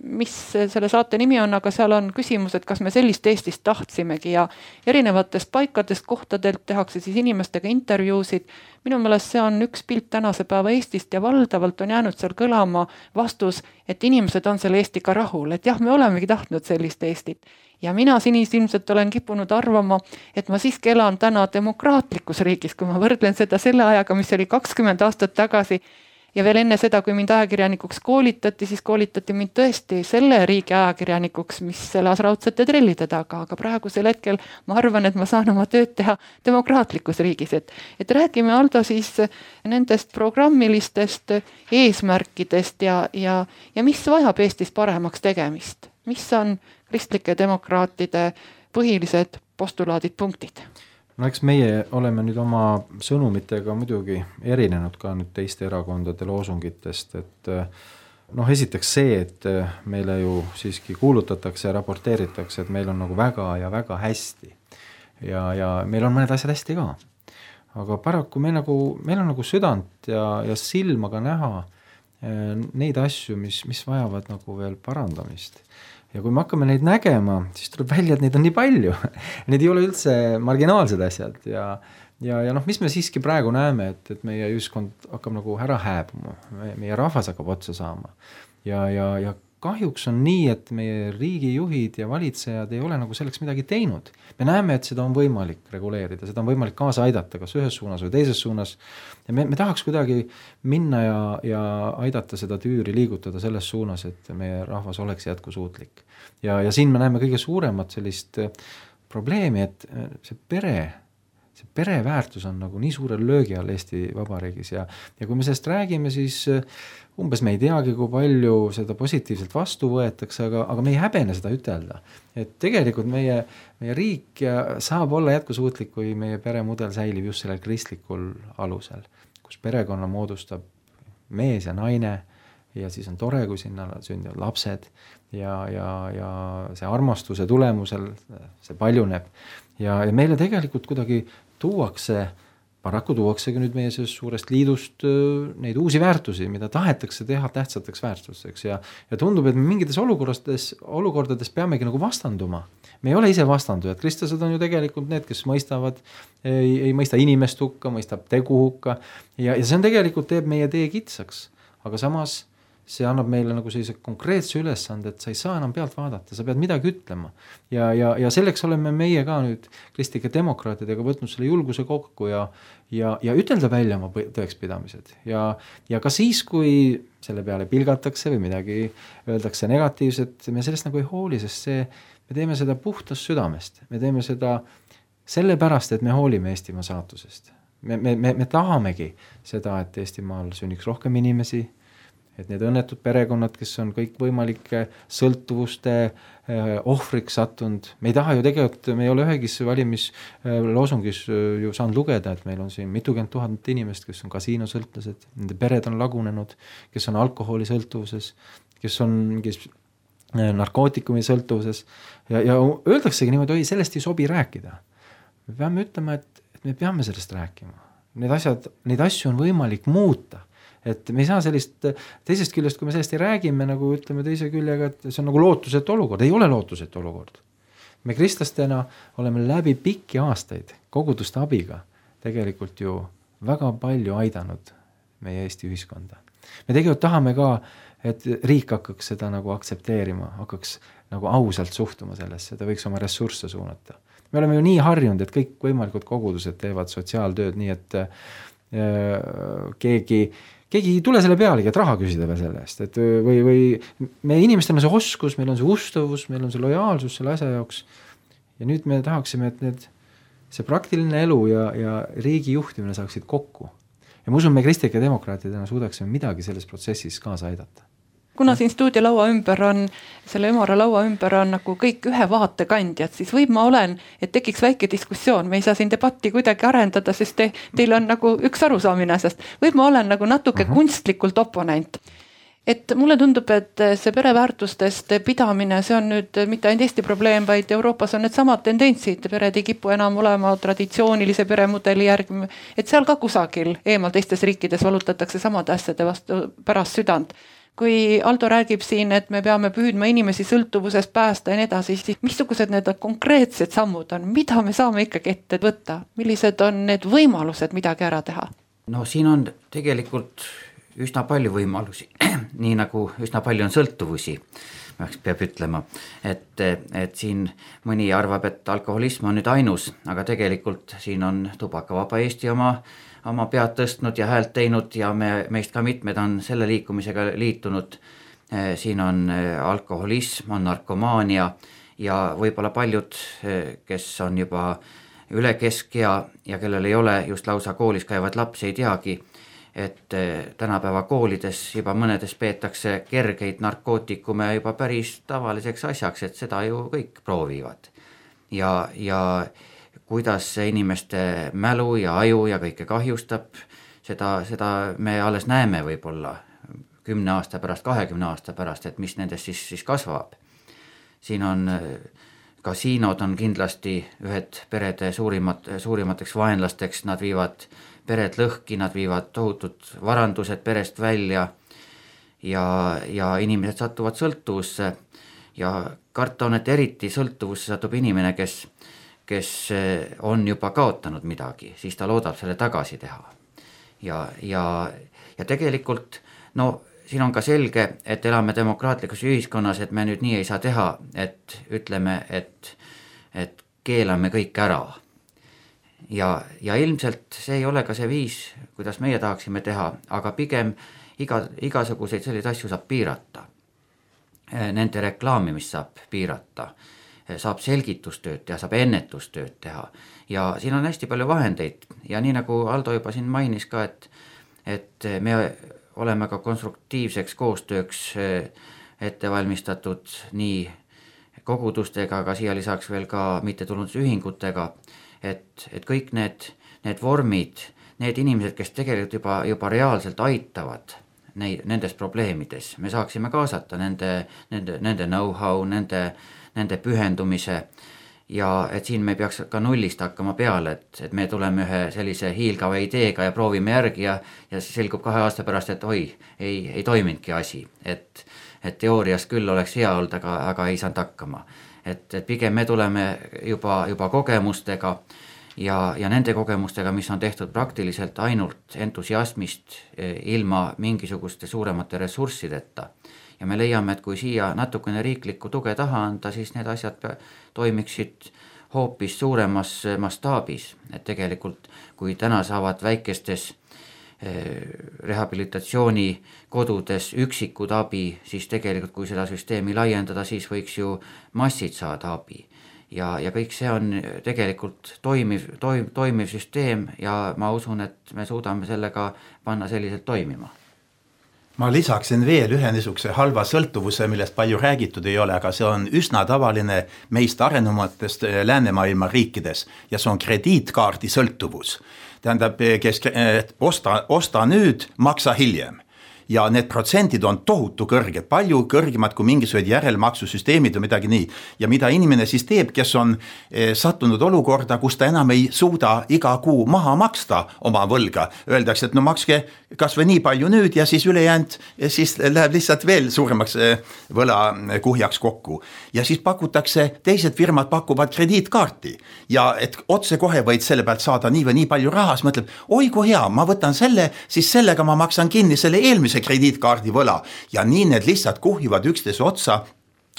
mis selle saate nimi on, aga seal on küsimus, et kas me sellist Eestist tahtsimegi ja erinevatest paikadest, kohtadelt tehakse siis inimestega intervjuusid. Minu meelest see on üks pilt tänase päeva Eestist ja valdavalt on jäänud seal kõlama vastus, et inimesed on selle Eestiga rahul, et jah, me olemegi tahtnud sellist Eestit. Ja mina sinisilmselt olen kippunud arvama, et ma siiski elan täna demokraatlikus riigis, kui ma võrdlen seda selle ajaga, mis oli kakskümmend aastat tagasi. Ja veel enne seda, kui mind ajakirjanikuks koolitati, siis koolitati mind tõesti selle riigi ajakirjanikuks, mis elas raudsete trellide taga, aga praegusel hetkel ma arvan, et ma saan oma tööd teha demokraatlikus riigis. Et, et räägime, Aldo, siis nendest programmilistest eesmärkidest ja, ja, ja mis vajab Eestis paremaks tegemist? Mis on kristlike demokraatide põhilised postulaadid, punktid? No eks meie oleme nüüd oma sõnumitega muidugi erinenud ka nüüd teiste erakondade loosungitest, et noh, esiteks see, et meile ju siiski kuulutatakse ja raporteeritakse, et meil on nagu väga ja väga hästi ja, ja meil on mõned asjad hästi ka. Aga paraku meil, nagu, meil on nagu südant ja, ja silma ka näha neid asju, mis, mis vajavad nagu veel parandamist. Ja kui me hakkame neid nägema, siis tuleb välja, et neid on nii palju. Need ei ole üldse marginaalsed asjad ja, ja, ja noh, mis me siiski praegu näeme, et, et meie ühiskond hakkab nagu ära hääbuma, meie rahvas hakkab otsa saama ja, ja, ja kahjuks on nii, et meie riigijuhid ja valitsejad ei ole nagu selleks midagi teinud. Me näeme, et seda on võimalik reguleerida, seda on võimalik kaasa aidata, kas ühes suunas või teises suunas. Ja me, me tahaks kuidagi minna ja, ja aidata seda tüüri liigutada selles suunas, et meie rahvas oleks jätkusuutlik. Ja, ja siin me näeme kõige suuremat sellist probleemi, et see pere, see pereväärtus on nagu nii suurel löögi all Eesti Vabariigis ja, ja kui me sellest räägime, siis umbes me ei teagi, kui palju seda positiivselt vastu võetakse, aga, aga me ei häbene seda ütelda. Et tegelikult meie, meie riik saab olla jätkusuutlik, kui meie peremudel säilib just sellel kristlikul alusel, kus perekonna moodustab mees ja naine ja siis on tore, kui sinna sündivad lapsed ja, ja, ja see armastuse tulemusel see paljuneb. Ja, ja meile tegelikult kuidagi tuuakse Paraku tuuaksegi nüüd meie suurest liidust neid uusi väärtusi, mida tahetakse teha tähtsateks väärtusteks ja, ja tundub, et me mingites olukordades, olukordades peamegi nagu vastanduma. Me ei ole ise vastandujad, kristlased on ju tegelikult need, kes mõistavad, ei, ei mõista inimest hukka, mõistab tegu hukka ja, ja see on tegelikult teeb meie tee kitsaks, aga samas see annab meile nagu sellise konkreetse ülesande, et sa ei saa enam pealt vaadata, sa pead midagi ütlema. Ja, ja, ja selleks oleme meie ka nüüd kristlike demokraatidega võtnud selle julguse kokku ja, ja, ja ütelda välja oma tõekspidamised. Ja, ja ka siis, kui selle peale pilgatakse või midagi öeldakse negatiivset, me sellest nagu ei hooli, sest see, me teeme seda puhtast südamest. Me teeme seda sellepärast, et me hoolime Eestimaa saatusest. Me, me, me, me tahamegi seda, et Eestimaal sünniks rohkem inimesi, et need õnnetud perekonnad, kes on kõik võimalike sõltuvuste ohvriks sattunud. Me ei taha ju tegelikult, me ei ole ühegis valimisloosungis ju saanud lugeda, et meil on siin mitukümmend tuhat inimest, kes on kasiinosõltlased, nende pered on lagunenud, kes on alkoholisõltuvuses, kes on kes narkootikumi sõltuvuses ja, ja öeldaksegi niimoodi, oi, sellest ei sobi rääkida. Me peame ütlema, et, et me peame sellest rääkima. Need asjad, neid asju on võimalik muuta. Et me ei saa sellist, teisest küljest, kui me sellest ei räägime, nagu ütleme teise küljega, et see on nagu lootusetu olukord, ei ole lootusetu olukord. me kristlastena oleme läbi pikki aastaid koguduste abiga tegelikult ju väga palju aidanud meie Eesti ühiskonda. Me tegelikult tahame ka, et riik hakkaks seda nagu aktsepteerima, hakkaks nagu ausalt suhtuma sellesse, ta võiks oma ressursse suunata. Me oleme ju nii harjunud, et kõik võimalikud kogudused teevad sotsiaaltööd, nii et äh, keegi, keegi ei tule selle pealegi, et raha küsida veel selle eest, et või, või meie inimestel on see oskus, meil on see ustavus, meil on see lojaalsus selle asja jaoks ja nüüd me tahaksime, et need, see praktiline elu ja, ja riigi juhtimine saaksid kokku. Ja ma usun, me kristlike demokraatidena suudaksime midagi selles protsessis kaasa aidata. Kuna siin stuudiolaua ümber on, selle ümara laua ümber on nagu kõik ühe vaatekandjad, siis võib ma olen, et tekiks väike diskussioon, me ei saa siin debatti kuidagi arendada, sest te, teil on nagu üks arusaamine, sest võib ma olen nagu natuke uh-huh. kunstlikult oponent. Et mulle tundub, et see pereväärtustest pidamine, see on nüüd mitte ainult Eesti probleem, vaid Euroopas on need samad tendentsid, pered ei kipu enam olema traditsioonilise peremudeli järgi, et seal ka kusagil eemal teistes riikides valutatakse samade asjade vastu pärast südant. Kui Aldo räägib siin, et me peame püüdma inimesi sõltuvusest päästa ja nii edasi, siis missugused need konkreetsed sammud on, mida me saame ikkagi ette võtta, millised on need võimalused midagi ära teha? No siin on tegelikult üsna palju võimalusi, nii nagu üsna palju on sõltuvusi, peab ütlema, et, et siin mõni arvab, et alkoholism on nüüd ainus, aga tegelikult siin on tubakavaba Eesti oma oma pead tõstnud ja häält teinud ja me, meist ka mitmed on selle liikumisega liitunud. Siin on alkoholism, on narkomaania ja võib-olla paljud, kes on juba üle keskea ja kellel ei ole just lausa koolis käivad lapsi, ei teagi, et tänapäeva koolides juba mõnedes peetakse kergeid narkootikume juba päris tavaliseks asjaks, et seda ju kõik proovivad. Ja, ja kuidas see inimeste mälu ja aju ja kõike kahjustab, seda, seda me alles näeme võib-olla kümne aasta pärast, kahekümne aasta pärast, et mis nendest siis, siis kasvab. Siin on, kasiinod on kindlasti ühed perede suurimat, suurimateks vaenlasteks, nad viivad pered lõhki, nad viivad tohutud varandused perest välja ja, ja inimesed satuvad sõltuvusse ja karta on, et eriti sõltuvusse satub inimene, kes kes on juba kaotanud midagi, siis ta loodab selle tagasi teha. Ja, ja, ja tegelikult, no siin on ka selge, et elame demokraatlikus ühiskonnas, et me nüüd nii ei saa teha, et ütleme, et, et keelame kõik ära. Ja, ja ilmselt see ei ole ka see viis, kuidas meie tahaksime teha, aga pigem iga, igasuguseid selliseid asju saab piirata. Nende reklaamimist saab piirata. Saab selgitustööd teha, saab ennetustööd teha ja siin on hästi palju vahendeid ja nii nagu Aldo juba siin mainis ka, et, et me oleme ka konstruktiivseks koostööks ette valmistatud nii kogudustega, aga siia lisaks veel ka mittetulundusühingutega, et, et kõik need, need vormid, need inimesed, kes tegelikult juba, juba reaalselt aitavad neid, nendes probleemides, me saaksime kaasata nende, nende, nende know-how, nende nende pühendumise ja et siin me peaks ka nullist hakkama peale, et, et me tuleme ühe sellise hiilgava ideega ja proovime järgi ja, ja selgub kahe aasta pärast, et oi, ei, ei toiminudki asi, et, et teoorias küll oleks hea olnud, aga, aga ei saanud hakkama. Et, et pigem me tuleme juba, juba kogemustega ja, ja nende kogemustega, mis on tehtud praktiliselt ainult entusiasmist ilma mingisuguste suuremate ressurssideta. Ja me leiame, et kui siia natukene riiklikku tuge taha anda, siis need asjad toimiksid hoopis suuremas mastaabis. Et tegelikult, kui täna saavad väikestes rehabilitatsiooni kodudes üksikud abi, siis tegelikult, kui seda süsteemi laiendada, siis võiks ju massid saada abi. Ja, ja kõik see on tegelikult toimiv, toim, toimiv süsteem ja ma usun, et me suudame sellega panna selliselt toimima. Ma lisaksin veel ühe niisuguse halva sõltuvuse, millest palju räägitud ei ole, aga see on üsna tavaline meist arenumatest läänemaailma riikides ja see on krediitkaardi sõltuvus. Tähendab, kes osta, osta nüüd, maksa hiljem. ja need protsendid on tohutu kõrged, palju kõrgemad kui mingisugused järelmaksusüsteemid või midagi nii. Ja mida inimene siis teeb, kes on sattunud olukorda, kus ta enam ei suuda iga kuu maha maksta oma võlga. Öeldakse, et no makske kas või nii palju nüüd ja siis ülejäänud ja siis läheb lihtsalt veel suuremaks võla kuhjaks kokku. Ja siis pakutakse, teised firmad pakuvad krediitkaarti ja et otse kohe võid selle pealt saada nii või nii palju raha, siis mõtleb, oi kui hea, ma võtan selle, siis sellega ma maksan kinni selle eelmise krediitkaardi võla ja nii need lihtsalt kuhjuvad üksteise otsa.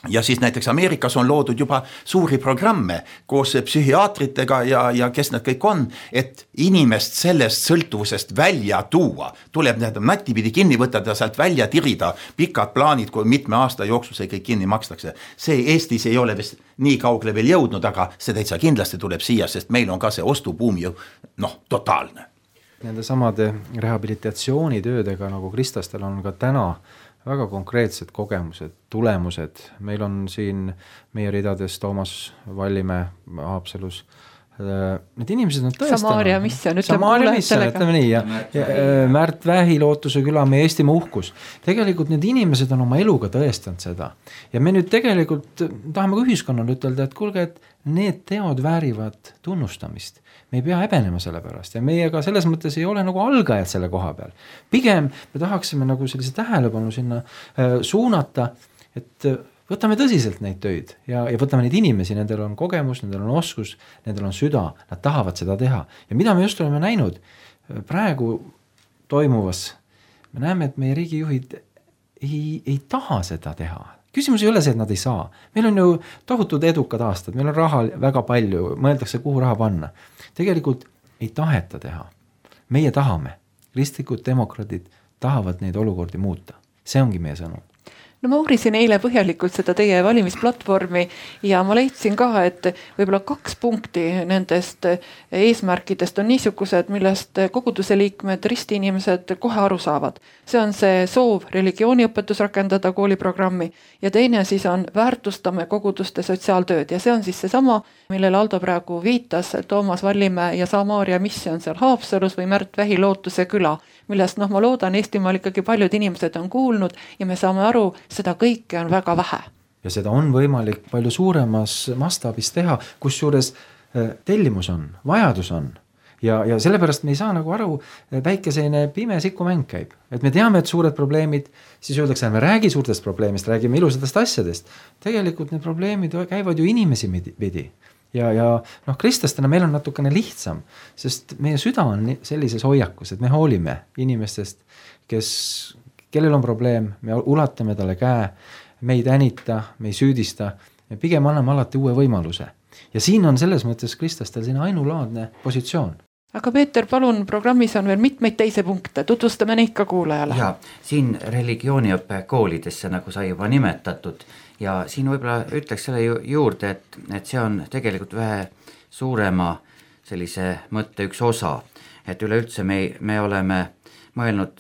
Ja siis näiteks Ameerikas on loodud juba suuri programme koos psühhiaatritega ja, ja kes need kõik on, et inimest sellest sõltuvusest välja tuua. Tuleb need nättipidi kinni võtada, sealt välja tirida, pikad plaanid, kui mitme aasta jooksul see kõik kinni makstakse. See Eestis ei ole vist nii kaugle veel jõudnud, aga see täitsa kindlasti tuleb siia, sest meil on ka see ostubuum ju noh, totaalne. Nende samade rehabilitatsioonitöödega nagu Kristastel on ka täna väga konkreetsed kogemused, tulemused. Meil on siin meie ridades Toomas Vallimäe Haapsalus. Need inimesed on tõestanud. Samaaria Mission, ütleme Samaaria Mission, ütleme nii. Ja, ja Märt Vähi, Lootuse küla, meie Eestimaa uhkus. Tegelikult need inimesed on oma eluga tõestanud seda. Ja me nüüd tegelikult tahame ka ühiskonnale ütelda, et kuulge, et need teod väärivad tunnustamist. Me ei pea häbenema selle pärast ja meiega selles mõttes ei ole nagu algajad selle koha peal. Pigem me tahaksime nagu sellise tähelepanu sinna äh, suunata, et võtame tõsiselt neid töid ja, ja võtame neid inimesi, nendel on kogemus, nendel on oskus, nendel on süda, nad tahavad seda teha. Ja mida me just oleme näinud praegu toimuvas, me näeme, et meie riigijuhid ei, ei taha seda teha. Küsimus ei ole see, et nad ei saa. Meil on ju tohutud edukad aastad, meil on raha väga palju, mõeldakse, kuhu raha panna. Tegelikult ei taheta teha. Meie tahame. Kristlikud demokraadid tahavad neid olukordi muuta. See ongi meie sõnum. No ma uurisin eile põhjalikult seda teie valimisplatvormi ja ma leidsin ka, et võib-olla kaks punkti nendest eesmärkidest on niisugused, millest koguduse liikmed, ristiinimesed kohe aru saavad. See on see soov religiooniõpetus rakendada kooliprogrammi ja teine siis on väärtustame koguduste sotsiaaltööd ja see on siis see sama, millele Aldo praegu viitas, Toomas Vallimäe ja Samaaria Mission seal Haapsalus või Märt Vähi Lootuse küla, millest noh, ma loodan, Eestimaal ikkagi paljud inimesed on kuulnud ja me saame aru, seda kõike on väga vähe. Ja seda on võimalik palju suuremas mastaabis teha, kus juures tellimus on, vajadus on. Ja, ja sellepärast me ei saa nagu aru, väikeseine pime sikumäng käib. Et me teame, et suured probleemid, siis öeldakse, et me räägi suurtest probleemist, räägime ilusatest asjadest. Tegelikult need probleemid käivad ju inimesi pidi. Ja, ja noh, kristlastena meil on natukene lihtsam, sest meie süda on sellises hoiakus, et me hoolime inimestest, kes, kellel on probleem, me ulatame talle käe, me ei tänita, me ei süüdista, me pigem anname alati uue võimaluse. Ja siin on selles mõttes kristlastel siin ainulaadne positsioon. Aga Peeter, palun, programmis on veel mitmeid teise punkte, tutvustame neid ka kuulajale. Ja, siin religiooniõppe koolidesse, nagu sai juba nimetatud, ja siin võib-olla ütleks selle juurde, et, et see on tegelikult vähe suurema sellise mõtte üks osa, et üleüldse me, me oleme mõelnud,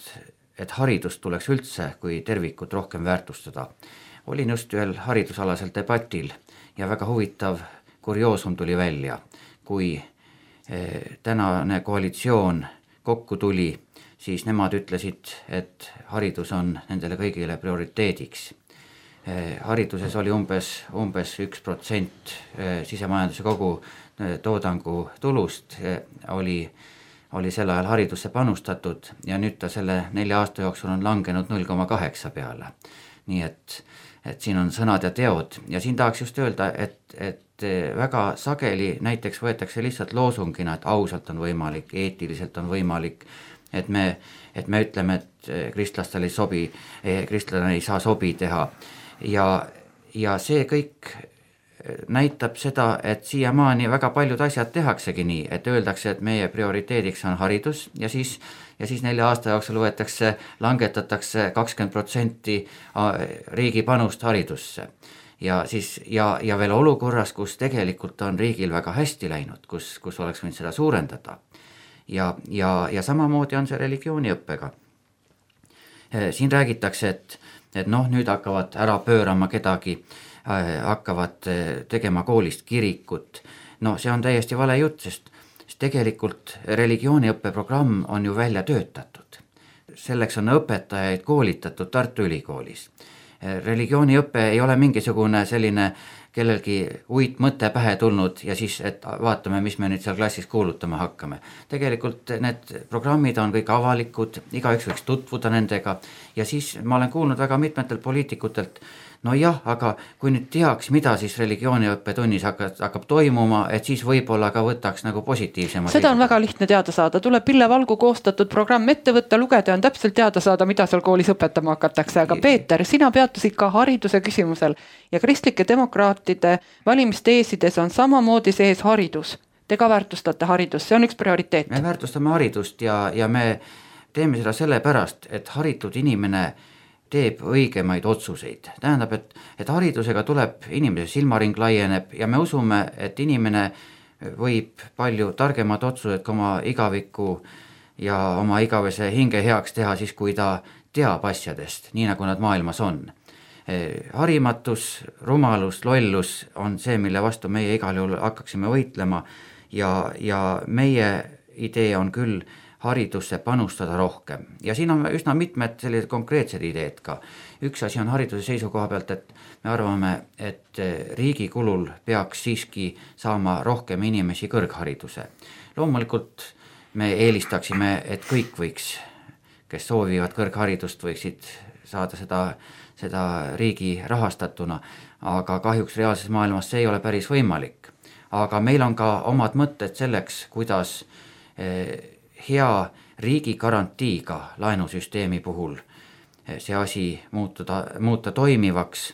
et haridust tuleks üldse kui tervikut rohkem väärtustada. Olin just ühel haridusalasel debatil ja väga huvitav kurioosum tuli välja, kui tänane koalitsioon kokku tuli, siis nemad ütlesid, et haridus on nendele kõigile prioriteediks. Hariduses oli umbes, umbes üks protsent sisemajanduse kogu toodangu tulust oli, oli sel ajal haridusse panustatud ja nüüd ta selle nelja aasta jooksul on langenud null koma kaheksa peale. Nii et, et siin on sõnad ja teod ja siin tahaks just öelda, et, et väga sageli näiteks võetakse lihtsalt loosungina, et ausalt on võimalik, eetiliselt on võimalik, et me, et me ütleme, et kristlastel ei sobi, kristlane ei saa sobi teha ja, ja see kõik näitab seda, et siiamaani väga paljud asjad tehaksegi nii, et öeldakse, et meie prioriteediks on haridus ja siis, ja siis nelja aasta jooksul võetakse, langetatakse kakskümmend protsenti riigi panust haridusse. Ja, siis, ja, ja veel olukorras, kus tegelikult on riigil väga hästi läinud, kus, kus oleks võinud seda suurendada. Ja, ja, ja samamoodi on see religiooniõppega. Siin räägitakse, et, et noh, nüüd hakkavad ära pöörama kedagi, hakkavad tegema koolist kirikut. No see on täiesti vale jutt, sest, sest tegelikult religiooniõppeprogramm on ju välja töötatud. selleks on õpetajaid koolitatud Tartu Ülikoolis. Religiooniõpe ei ole mingisugune selline kellelgi uit mõte pähe tulnud ja siis, et vaatame, mis me nüüd seal klassis kuulutama hakkame. Tegelikult need programmid on kõik avalikud, igaüks võiks tutvuda nendega ja siis ma olen kuulnud väga mitmetelt poliitikutelt, no jah, aga kui nüüd teaks, mida siis religiooniõppe tunnis hakkab, hakkab toimuma, et siis võib-olla ka võtaks nagu positiivsema. Seda on väga lihtne teada saada, tuleb Pille Valgu koostatud programm ette võtta, lugeda ja on täpselt teada saada, mida seal koolis õpetama hakatakse, aga Peeter, sina peatusid ka hariduse küsimusel ja kristlike demokraatide valimisteesides on samamoodi sees haridus. Te ka väärtustate haridust, see on üks prioriteet. Me väärtustame haridust ja, ja me teeme seda sellepärast, et haritud inimene teeb õigemaid otsuseid. Tähendab, et, et haridusega tuleb inimese silmaring laieneb ja me usume, et inimene võib palju targemad otsused oma igaviku ja oma igavese hinge heaks teha siis, kui ta teab asjadest, nii nagu nad maailmas on. Harimatus, rumalus, lollus on see, mille vastu meie igal juhul hakkaksime võitlema ja, ja meie idee on küll haridusse panustada rohkem. Ja siin on üsna mitmed sellised konkreetsed ideed ka. Üks asi on hariduse seisukoha pealt, et me arvame, et riigi kulul peaks siiski saama rohkem inimesi kõrghariduse. Loomulikult me eelistaksime, et kõik võiks, kes soovivad kõrgharidust, võiksid saada seda, seda riigi rahastatuna, aga kahjuks reaalses maailmas see ei ole päris võimalik. Aga meil on ka omad mõtted selleks, kuidas hea riigi garantiiga laenusüsteemi puhul see asi muutuda, muuta toimivaks,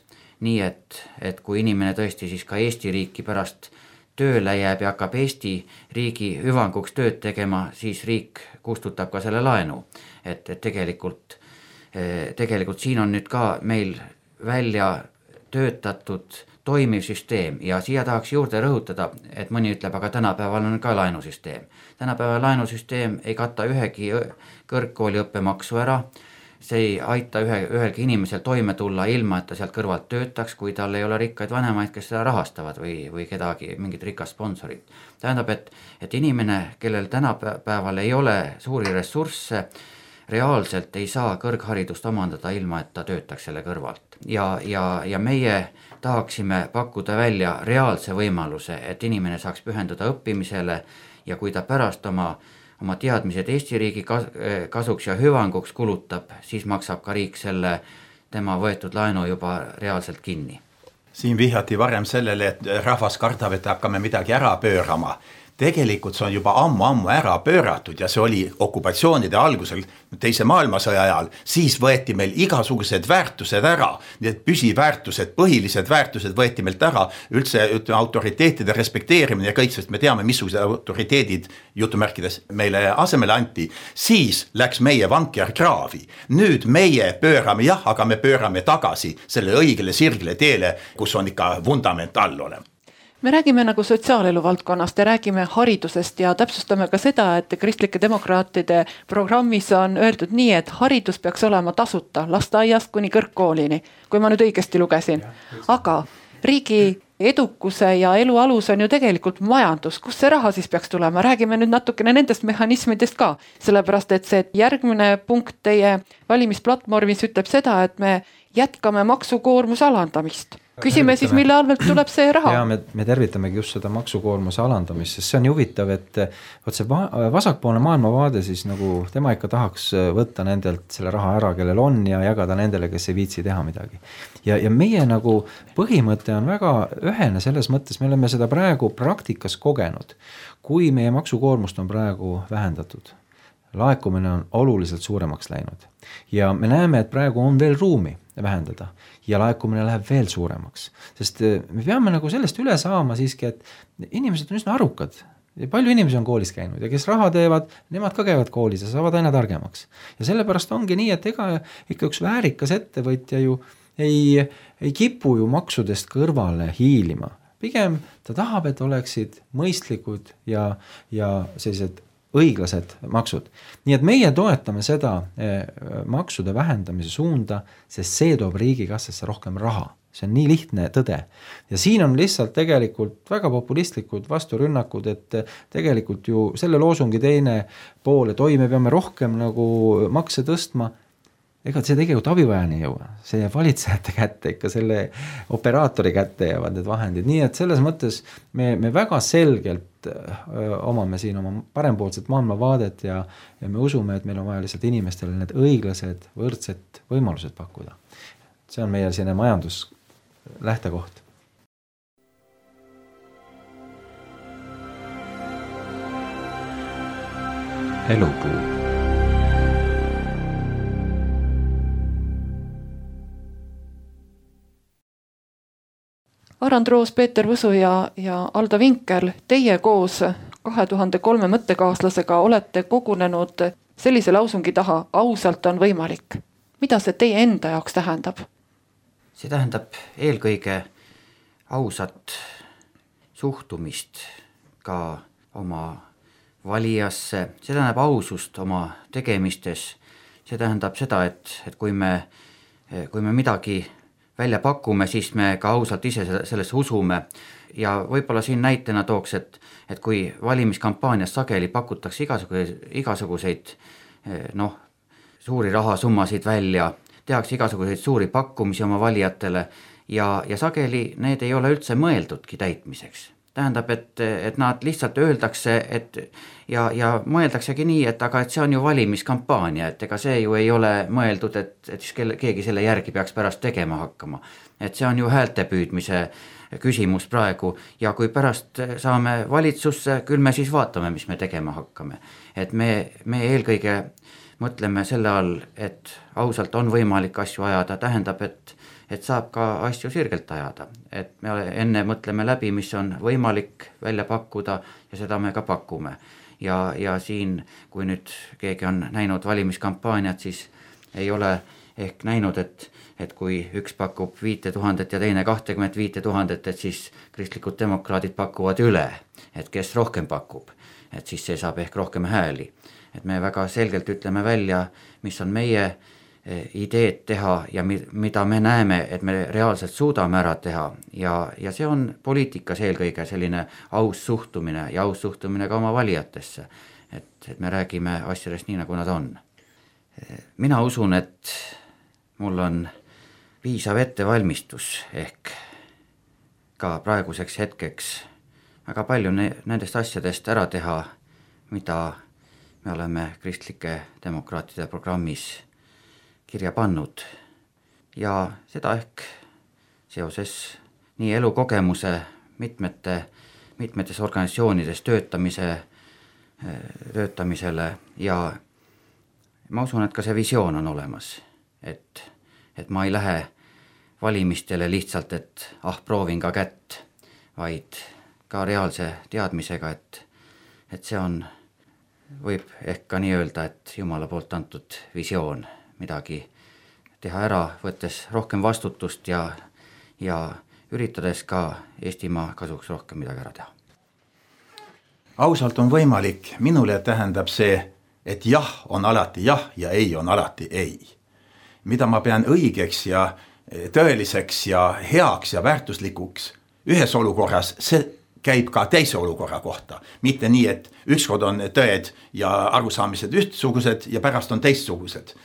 nii et, et kui inimene tõesti siis ka Eesti riiki pärast tööle jääb ja hakkab Eesti riigi hüvanguks tööd tegema, siis riik kustutab ka selle laenu. Et, et tegelikult, tegelikult siin on nüüd ka meil välja töötatud toimiv süsteem ja siia tahaks juurde rõhutada, et mõni ütleb, aga tänapäeval on ka laenusüsteem. Tänapäeval laenusüsteem ei kata ühegi kõrgkooli õppemaksu ära, see ei aita ühe, ühelgi inimesel toime tulla ilma, et ta sealt kõrvalt töötaks, kui tal ei ole rikkaid vanemaid, kes seda rahastavad või, või kedagi, mingit rikast sponsorit. Tähendab, et, et inimene, kellel tänapäeval ei ole suuri ressursse, reaalselt ei saa kõrgharidust omandada ilma, et ta töötaks selle kõrvalt. Ja, ja, ja meie tahaksime pakkuda välja reaalse võimaluse, et inimene saaks pühenduda õppimisele ja kui ta pärast oma, oma teadmised Eesti riigi kasuks ja hüvanguks kulutab, siis maksab ka riik selle tema võetud laenu juba reaalselt kinni. Siin vihjati varem sellele, et rahvas kardab, et hakkame midagi ära pöörama. Tegelikult see on juba ammu-ammu ära pööratud ja see oli okupatsioonide algusel teise maailmasõja ajal, siis võeti meil igasugused väärtused ära, need püsiväärtused, põhilised väärtused võeti meilt ära, üldse ütleme, autoriteetide respekteerimine ja kõik, sest me teame, missugused autoriteedid jutumärkides meile asemele anti, siis läks meie vanker kraavi. Nüüd meie pöörame, jah, aga me pöörame tagasi selle õigele sirgele teele, kus on ikka vundament all olema. Me räägime nagu sotsiaalelu valdkonnast ja räägime haridusest ja täpsustame ka seda, et kristlike demokraatide programmis on öeldud nii, et haridus peaks olema tasuta lasteaiast kuni kõrgkoolini, kui ma nüüd õigesti lugesin. Aga riigi edukuse ja elu alus on ju tegelikult majandus, kus see raha siis peaks tulema. Räägime nüüd natukene nendest mehhanismidest ka, sellepärast et see järgmine punkt teie valimisplatvormis ütleb seda, et me jätkame maksukoormuse alandamist. Küsime siis, mille arvelt tuleb see raha? Ja me, me tervitamegi just seda maksukoormuse alandamist, sest see on huvitav, et võt see vasakpoolne maailmavaade siis nagu tema ikka tahaks võtta nendelt selle raha ära, kellel on ja jagada nendele, kes ei viitsi teha midagi. Ja, ja meie nagu põhimõte on väga ühene selles mõttes, me oleme seda praegu praktikas kogenud, kui meie maksukoormust on praegu vähendatud. Laekumine on oluliselt suuremaks läinud ja me näeme, et praegu on veel ruumi vähendada ja laekumine läheb veel suuremaks, sest me peame nagu sellest üle saama siiski, et inimesed on üsna arukad ja palju inimesi on koolis käinud ja kes raha teevad, nemad ka käivad koolis ja saavad aina targemaks ja sellepärast ongi nii, et ega ikka üks väärikas ettevõtja ju ei, ei kipu ju maksudest kõrvale hiilima, pigem ta tahab, et oleksid mõistlikud ja, ja sellised õiglased maksud. Nii et meie toetame seda maksude vähendamise suunda, sest see toob riigikassasse rohkem raha. See on nii lihtne tõde. Ja siin on lihtsalt tegelikult väga populistlikud vasturünnakud, et tegelikult ju selle loosungi teine pool, et oi, me peame rohkem nagu makse tõstma, ega see tegelikult abivajani ei jõua. See jääb valitsejate kätte, ikka selle operaatori kätte jäävad need vahendid. Nii et selles mõttes me, me väga selgelt öö, omame siin oma parempoolset maailmavaadet ja, ja me usume, et meil on vaja lihtsalt inimestele need õiglased, võrdsed võimalused pakkuda. See on meie selline majandus lähtekoht. Elupuu. Arand Roos, Peeter Võsu ja, ja Aldo Vinkel, teie koos kahe tuhande kolme mõttekaaslasega olete kogunenud sellise lausungi taha, ausalt on võimalik. Mida see teie enda jaoks tähendab? See tähendab eelkõige ausat suhtumist ka oma valijasse, see tähendab ausust oma tegemistes, see tähendab seda, et, et kui me, kui me midagi välja pakume, siis me ka ausalt ise sellesse usume ja võib-olla siin näitena tooks, et, et kui valimiskampaanias sageli pakutakse igasuguseid, igasuguseid noh, suuri rahasummasid välja, tehakse igasuguseid suuri pakkumisi oma valijatele ja, ja sageli need ei ole üldse mõeldudki täitmiseks. Tähendab, et, et nad lihtsalt öeldakse, et ja, ja mõeldaksegi nii, et aga et see on ju valimiskampaania, et ega see ju ei ole mõeldud, et, et siis kelle, keegi selle järgi peaks pärast tegema hakkama. Et see on ju häälte püüdmise küsimus praegu ja kui pärast saame valitsusse, küll me siis vaatame, mis me tegema hakkame. Et me, me eelkõige mõtleme selle all, et ausalt on võimalik asju ajada, tähendab, et et saab ka asju sirgelt ajada, et me enne mõtleme läbi, mis on võimalik välja pakkuda ja seda me ka pakume. Ja, ja siin, kui nüüd keegi on näinud valimiskampaaniat, siis ei ole ehk näinud, et, et kui üks pakub viite tuhandet ja teine kahtekümmet viite tuhandet, et siis kristlikud demokraadid pakuvad üle, et kes rohkem pakub, et siis see saab ehk rohkem hääli. Et me väga selgelt ütleme välja, mis on meie ideed teha ja mida me näeme, et me reaalselt suudame ära teha ja, ja see on poliitikas eelkõige selline aus suhtumine ja aus suhtumine ka oma valijatesse, et, et me räägime asjadest nii, nagu nad on. Mina usun, et mul on piisav ettevalmistus ehk ka praeguseks hetkeks väga palju ne- nendest asjadest ära teha, mida me oleme kristlike demokraatide programmis kirja pannud ja seda ehk seoses nii elukogemuse mitmete, mitmetes organisatsioonides töötamise, töötamisele ja ma usun, et ka see visioon on olemas, et, et ma ei lähe valimistele lihtsalt, et ah, proovin ka kätt, vaid ka reaalse teadmisega, et, et see on, võib ehk ka nii öelda, et Jumala poolt antud visioon midagi teha ära, võttes rohkem vastutust ja, ja üritades ka Eestimaa kasuks rohkem midagi ära teha. Ausalt on võimalik, minule tähendab see, et jah on alati jah ja ei on alati ei. Mida ma pean õigeks ja tõeliseks ja heaks ja väärtuslikuks ühes olukorras, see käib ka teise olukorra kohta. Mitte nii, et ükskord on tõed ja arusaamised ühtsugused ja pärast on teistsugused.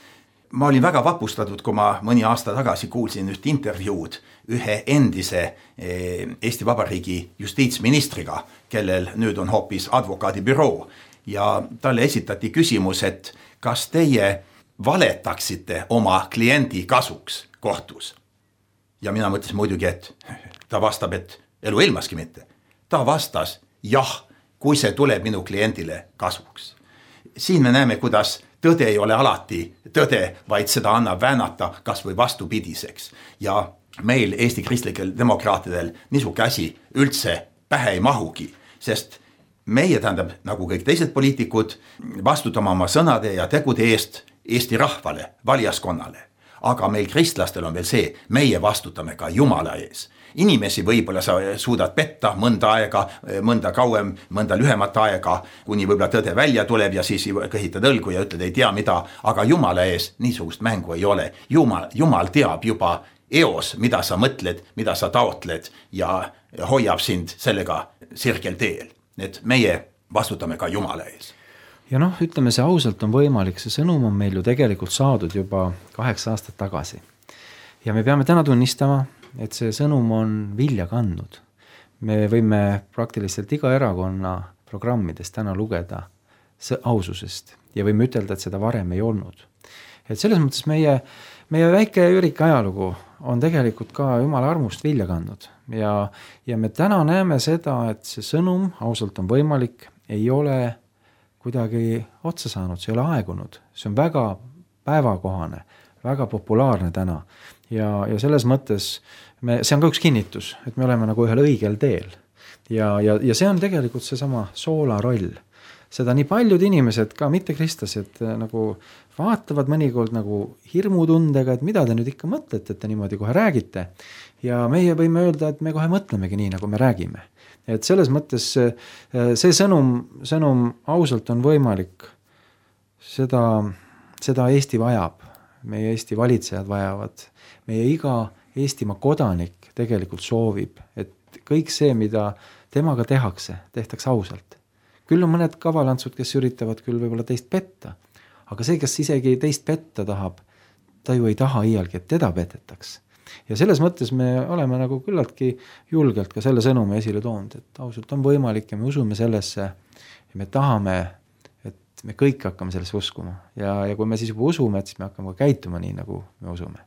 Ma olin väga vapustatud, kui ma mõni aasta tagasi kuulsin üht intervjuud ühe endise Eesti Vabariigi justiitsministriga, kellel nüüd on hoopis advokaadibüroo ja talle esitati küsimus, et kas teie valetaksite oma kliendi kasuks kohtus? Ja mina mõtlesin muidugi, et ta vastab, et elu ilmaski mitte. Ta vastas jah, kui see tuleb minu kliendile kasuks. Siin me näeme, kuidas tõde ei ole alati tõde, vaid seda annab väänata kas või vastupidiseks. Ja meil Eesti kristlikel demokraatidel niisuke asi üldse pähe ei mahugi, sest meie tähendab, nagu kõik teised poliitikud, vastutama oma sõnade ja tegude eest Eesti rahvale, valijaskonnale. aga meil kristlastel on veel see, meie vastutame ka Jumala ees. Inimesi võib-olla sa suudad petta mõnda aega, mõnda kauem, mõnda lühemat aega, kuni võib-olla tõde välja tuleb ja siis kõhitad õlgu ja ütled ei tea mida, aga Jumala ees niisugust mängu ei ole. Jumal, Jumal teab juba eos, mida sa mõtled, mida sa taotled ja hoiab sind sellega sirgel teel. Et meie vastutame ka Jumala ees. Ja noh, ütleme see ausalt on võimalik, see sõnum on meil ju tegelikult saadud juba kaheksa aastat tagasi. Ja me peame täna tunnistama, et see sõnum on vilja kandnud. Me võime praktiliselt iga erakonna programmidest täna lugeda aususest ja võime ütelda, et seda varem ei olnud. Et selles mõttes meie, meie väike ürik ajalugu on tegelikult ka Jumala armust vilja kandnud ja, ja me täna näeme seda, et see sõnum ausalt on võimalik, ei ole kuidagi otsa saanud, see ei ole aegunud, see on väga päevakohane, väga populaarne täna ja, ja selles mõttes me, see on ka üks kinnitus, et me oleme nagu ühel õigel teel ja, ja, ja see on tegelikult see sama soola roll. Seda nii paljud inimesed, ka mitte kristlased, nagu vaatavad mõnikord nagu hirmutundega, et mida te nüüd ikka mõtlete, et te niimoodi kohe räägite ja meie võime öelda, et me kohe mõtlemegi nii, nagu me räägime. Et selles mõttes see sõnum, sõnum ausalt on võimalik, seda, seda Eesti vajab, meie Eesti valitsejad vajavad, meie iga Eestimaa kodanik tegelikult soovib, et kõik see, mida temaga tehakse, tehtaks ausalt. Küll on mõned kavalantsud, kes üritavad küll võib-olla teist petta, aga see, kes isegi teist petta tahab, ta ju ei taha iialgi, et teda petetaks. Ja selles mõttes me oleme nagu küllaltki julgelt ka selle sõnumi esile toonud, et ausalt on võimalik ja me usume sellesse ja me tahame, et me kõik hakkame sellesse uskuma ja, ja kui me siis juba usume, et siis me hakkame ka käituma nii, nagu me usume.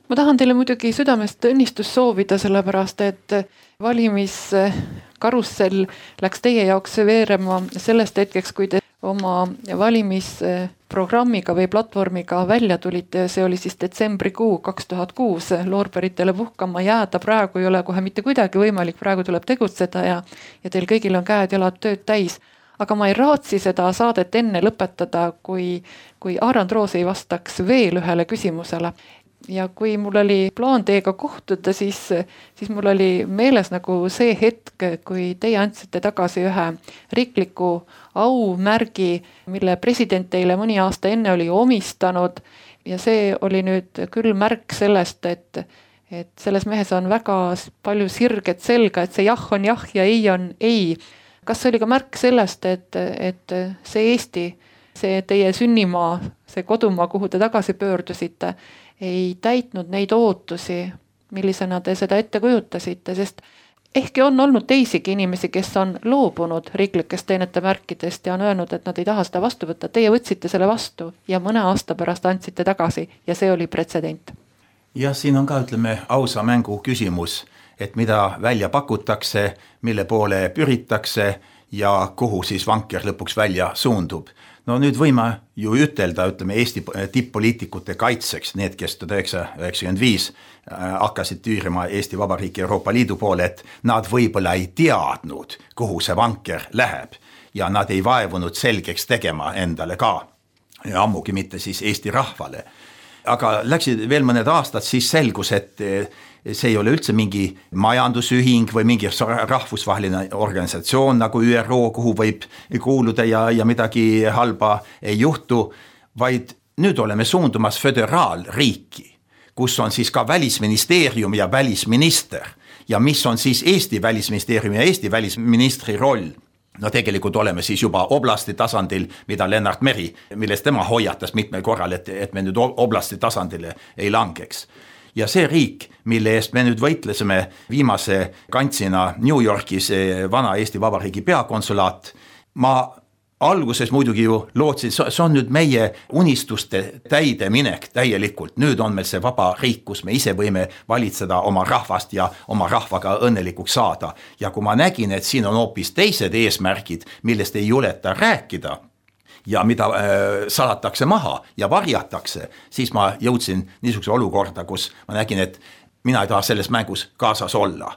Ma tahan teile muidugi südamest õnnistus soovida, sellepärast et valimiskarussell läks teie jaoks veerema sellest hetkeks, kui te oma valimisprogrammiga või platvormiga välja tulite, see oli siis detsembrikuu kaks tuhat kuus, loorberitele puhkama jääda praegu ei ole kohe mitte kuidagi võimalik, praegu tuleb tegutseda ja, ja teil kõigil on käed jalad tööd täis. Aga ma ei raatsi seda saadet enne lõpetada, kui, kui Aarand Roos ei vastaks veel ühele küsimusele. Ja kui mul oli plaan teiega kohtuda, siis, siis mul oli meeles nagu see hetk, kui teie andsite tagasi ühe riikliku aumärgi, mille president teile mõni aasta enne oli omistanud ja see oli nüüd küll märk sellest, et, et selles mehes on väga palju sirget selga, et see jah on jah ja ei on ei. Kas see oli ka märk sellest, et, et see Eesti, see teie sünnimaa, see kodumaa, kuhu te tagasi pöördusite, ei täitnud neid ootusi, millisena te seda ette kujutasite, sest ehkki on olnud teisigi inimesi, kes on loobunud riiklikest teenete märkidest ja on öelnud, et nad ei taha seda vastu võtta. Teie võtsite selle vastu ja mõne aasta pärast andsite tagasi ja see oli pretsedent. Ja siin on ka, ütleme, ausa mängu küsimus, et mida välja pakutakse, mille poole pyritakse ja kuhu siis vanker lõpuks välja suundub. No nüüd võime ju ütelda, ütleme, Eesti tipp-poliitikute kaitseks, need, kes tuhat üheksasada üheksakümmend viis hakkasid tüürima Eesti Vabariigi Euroopa Liidu poole, et nad võib-olla ei teadnud, kuhu see vanker läheb ja nad ei vaevunud selgeks tegema endale ka, ja ammugi mitte siis Eesti rahvale. Aga läksid veel mõned aastad, siis selgus, et see ei ole üldse mingi majandusühing või mingi rahvusvaheline organisatsioon nagu Ü R O, kuhu võib kuuluda ja, ja midagi halba ei juhtu, vaid nüüd oleme suundumas föderaalriiki, kus on siis ka välisministeerium ja välisminister ja mis on siis Eesti välisministeeriumi ja Eesti välisministri roll. No tegelikult oleme siis juba oblasti tasandil, mida Lennart Meri, millest tema hoiatas mitmel korral, et, et me nüüd oblasti tasandile ei langeks. Ja see riik, mille eest me nüüd võitlesime viimase kantsina New Yorkis vana Eesti Vabariigi peakonsulaat, ma alguses muidugi ju lootsin, see on nüüd meie unistuste täide minek täielikult. Nüüd on meil see vaba riik, kus me ise võime valitseda oma rahvast ja oma rahvaga õnnelikuks saada. Ja kui ma nägin, et siin on hoopis teised eesmärgid, millest ei juleta rääkida ja mida äh, salatakse maha ja varjatakse, siis ma jõudsin niisuguse olukorda, kus ma nägin, et mina ei taha selles mängus kaasas olla.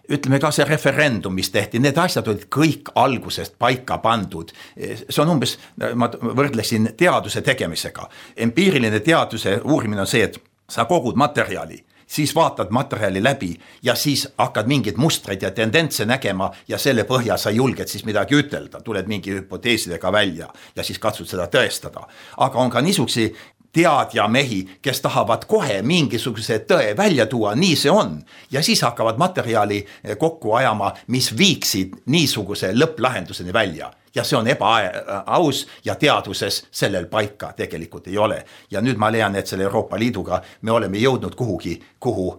Ütleme ka see referendum, mis tehti, need asjad olid kõik algusest paika pandud. See on umbes, ma võrdlesin teaduse tegemisega. Empiiriline teaduse uurimine on see, et sa kogud materjali, siis vaatad materjali läbi ja siis hakkad mingid mustreid ja tendentse nägema ja selle põhja sa julged siis midagi ütelda, tuled mingi hüpoteesidega välja ja siis katsud seda tõestada. Aga on ka niisugusi teadja mehi, kes tahavad kohe mingisuguse tõe välja tuua, nii see on. Ja siis hakkavad materjali kokku ajama, mis viiksid niisuguse lõpplahenduseni välja. Ja see on ebaaus ja teaduses sellel paika tegelikult ei ole. Ja nüüd ma leian, et selle Euroopa Liiduga me oleme jõudnud kuhugi, kuhu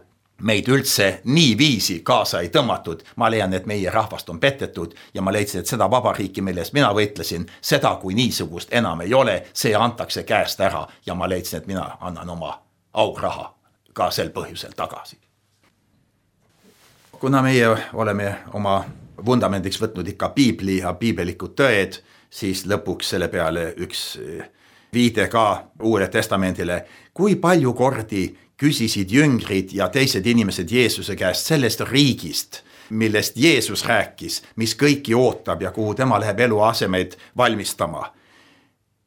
meid üldse nii viisi kaasa ei tõmmatud. Ma leian, et meie rahvast on petetud ja ma leidsin, et seda vabariiki, millest mina võitlesin, seda kui niisugust enam ei ole, see antakse käest ära ja ma leidsin, et mina annan oma auraha ka sel põhjusel tagasi. Kuna meie oleme oma vundamendiks võtnud ikka piibli ja piibelikud tõed, siis lõpuks selle peale üks viide ka Uuele Testamendile. Kui palju kordi küsisid jüngrid ja teised inimesed Jeesuse käest sellest riigist, millest Jeesus rääkis, mis kõiki ootab ja kuhu tema läheb eluasemeid valmistama.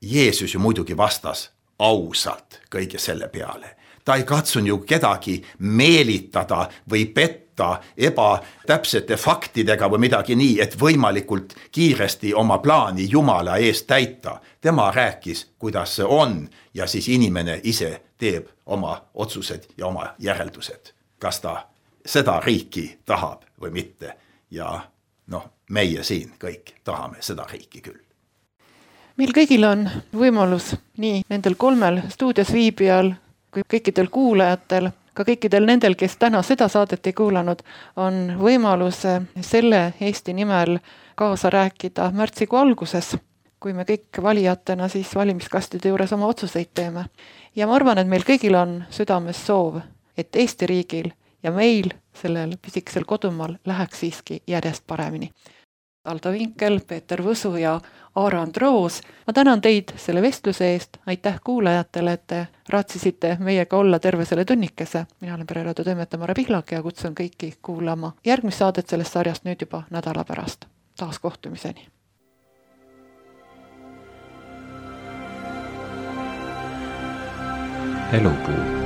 Jeesus ju muidugi vastas ausalt kõige selle peale. Ta ei katsun ju kedagi meelitada või petta ebatäpsete faktidega või midagi nii, et võimalikult kiiresti oma plaani Jumala eest täita. Tema rääkis, kuidas see on ja siis inimene ise teeb oma otsused ja oma järeldused. Kas ta seda riiki tahab või mitte. Ja noh, meie siin kõik tahame seda riiki küll. Meil kõigil on võimalus nii nendel kolmel stuudios viibijal kui kõikidel kuulajatel, ka kõikidel nendel, kes täna seda saadet ei kuulanud, on võimalus selle Eesti nimel kaasa rääkida märtsikuu alguses, kui me kõik valijatena siis valimiskastide juures oma otsuseid teeme. Ja ma arvan, et meil kõigil on südames soov, et Eesti riigil ja meil sellel pisikesel kodumaal läheks siiski järjest paremini. Aldo Vinkel, Peeter Võsu ja Aarand Roos. Ma tänan teid selle vestluse eest. Aitäh kuulajatele, et te raatsisite meiega olla terve selle tunnikese. Mina olen Pereraadio toimetaja Mare Pihlak ja kutsun kõiki kuulama järgmist saadet sellest sarjast nüüd juba nädala pärast. Taas kohtumiseni. Elupuu.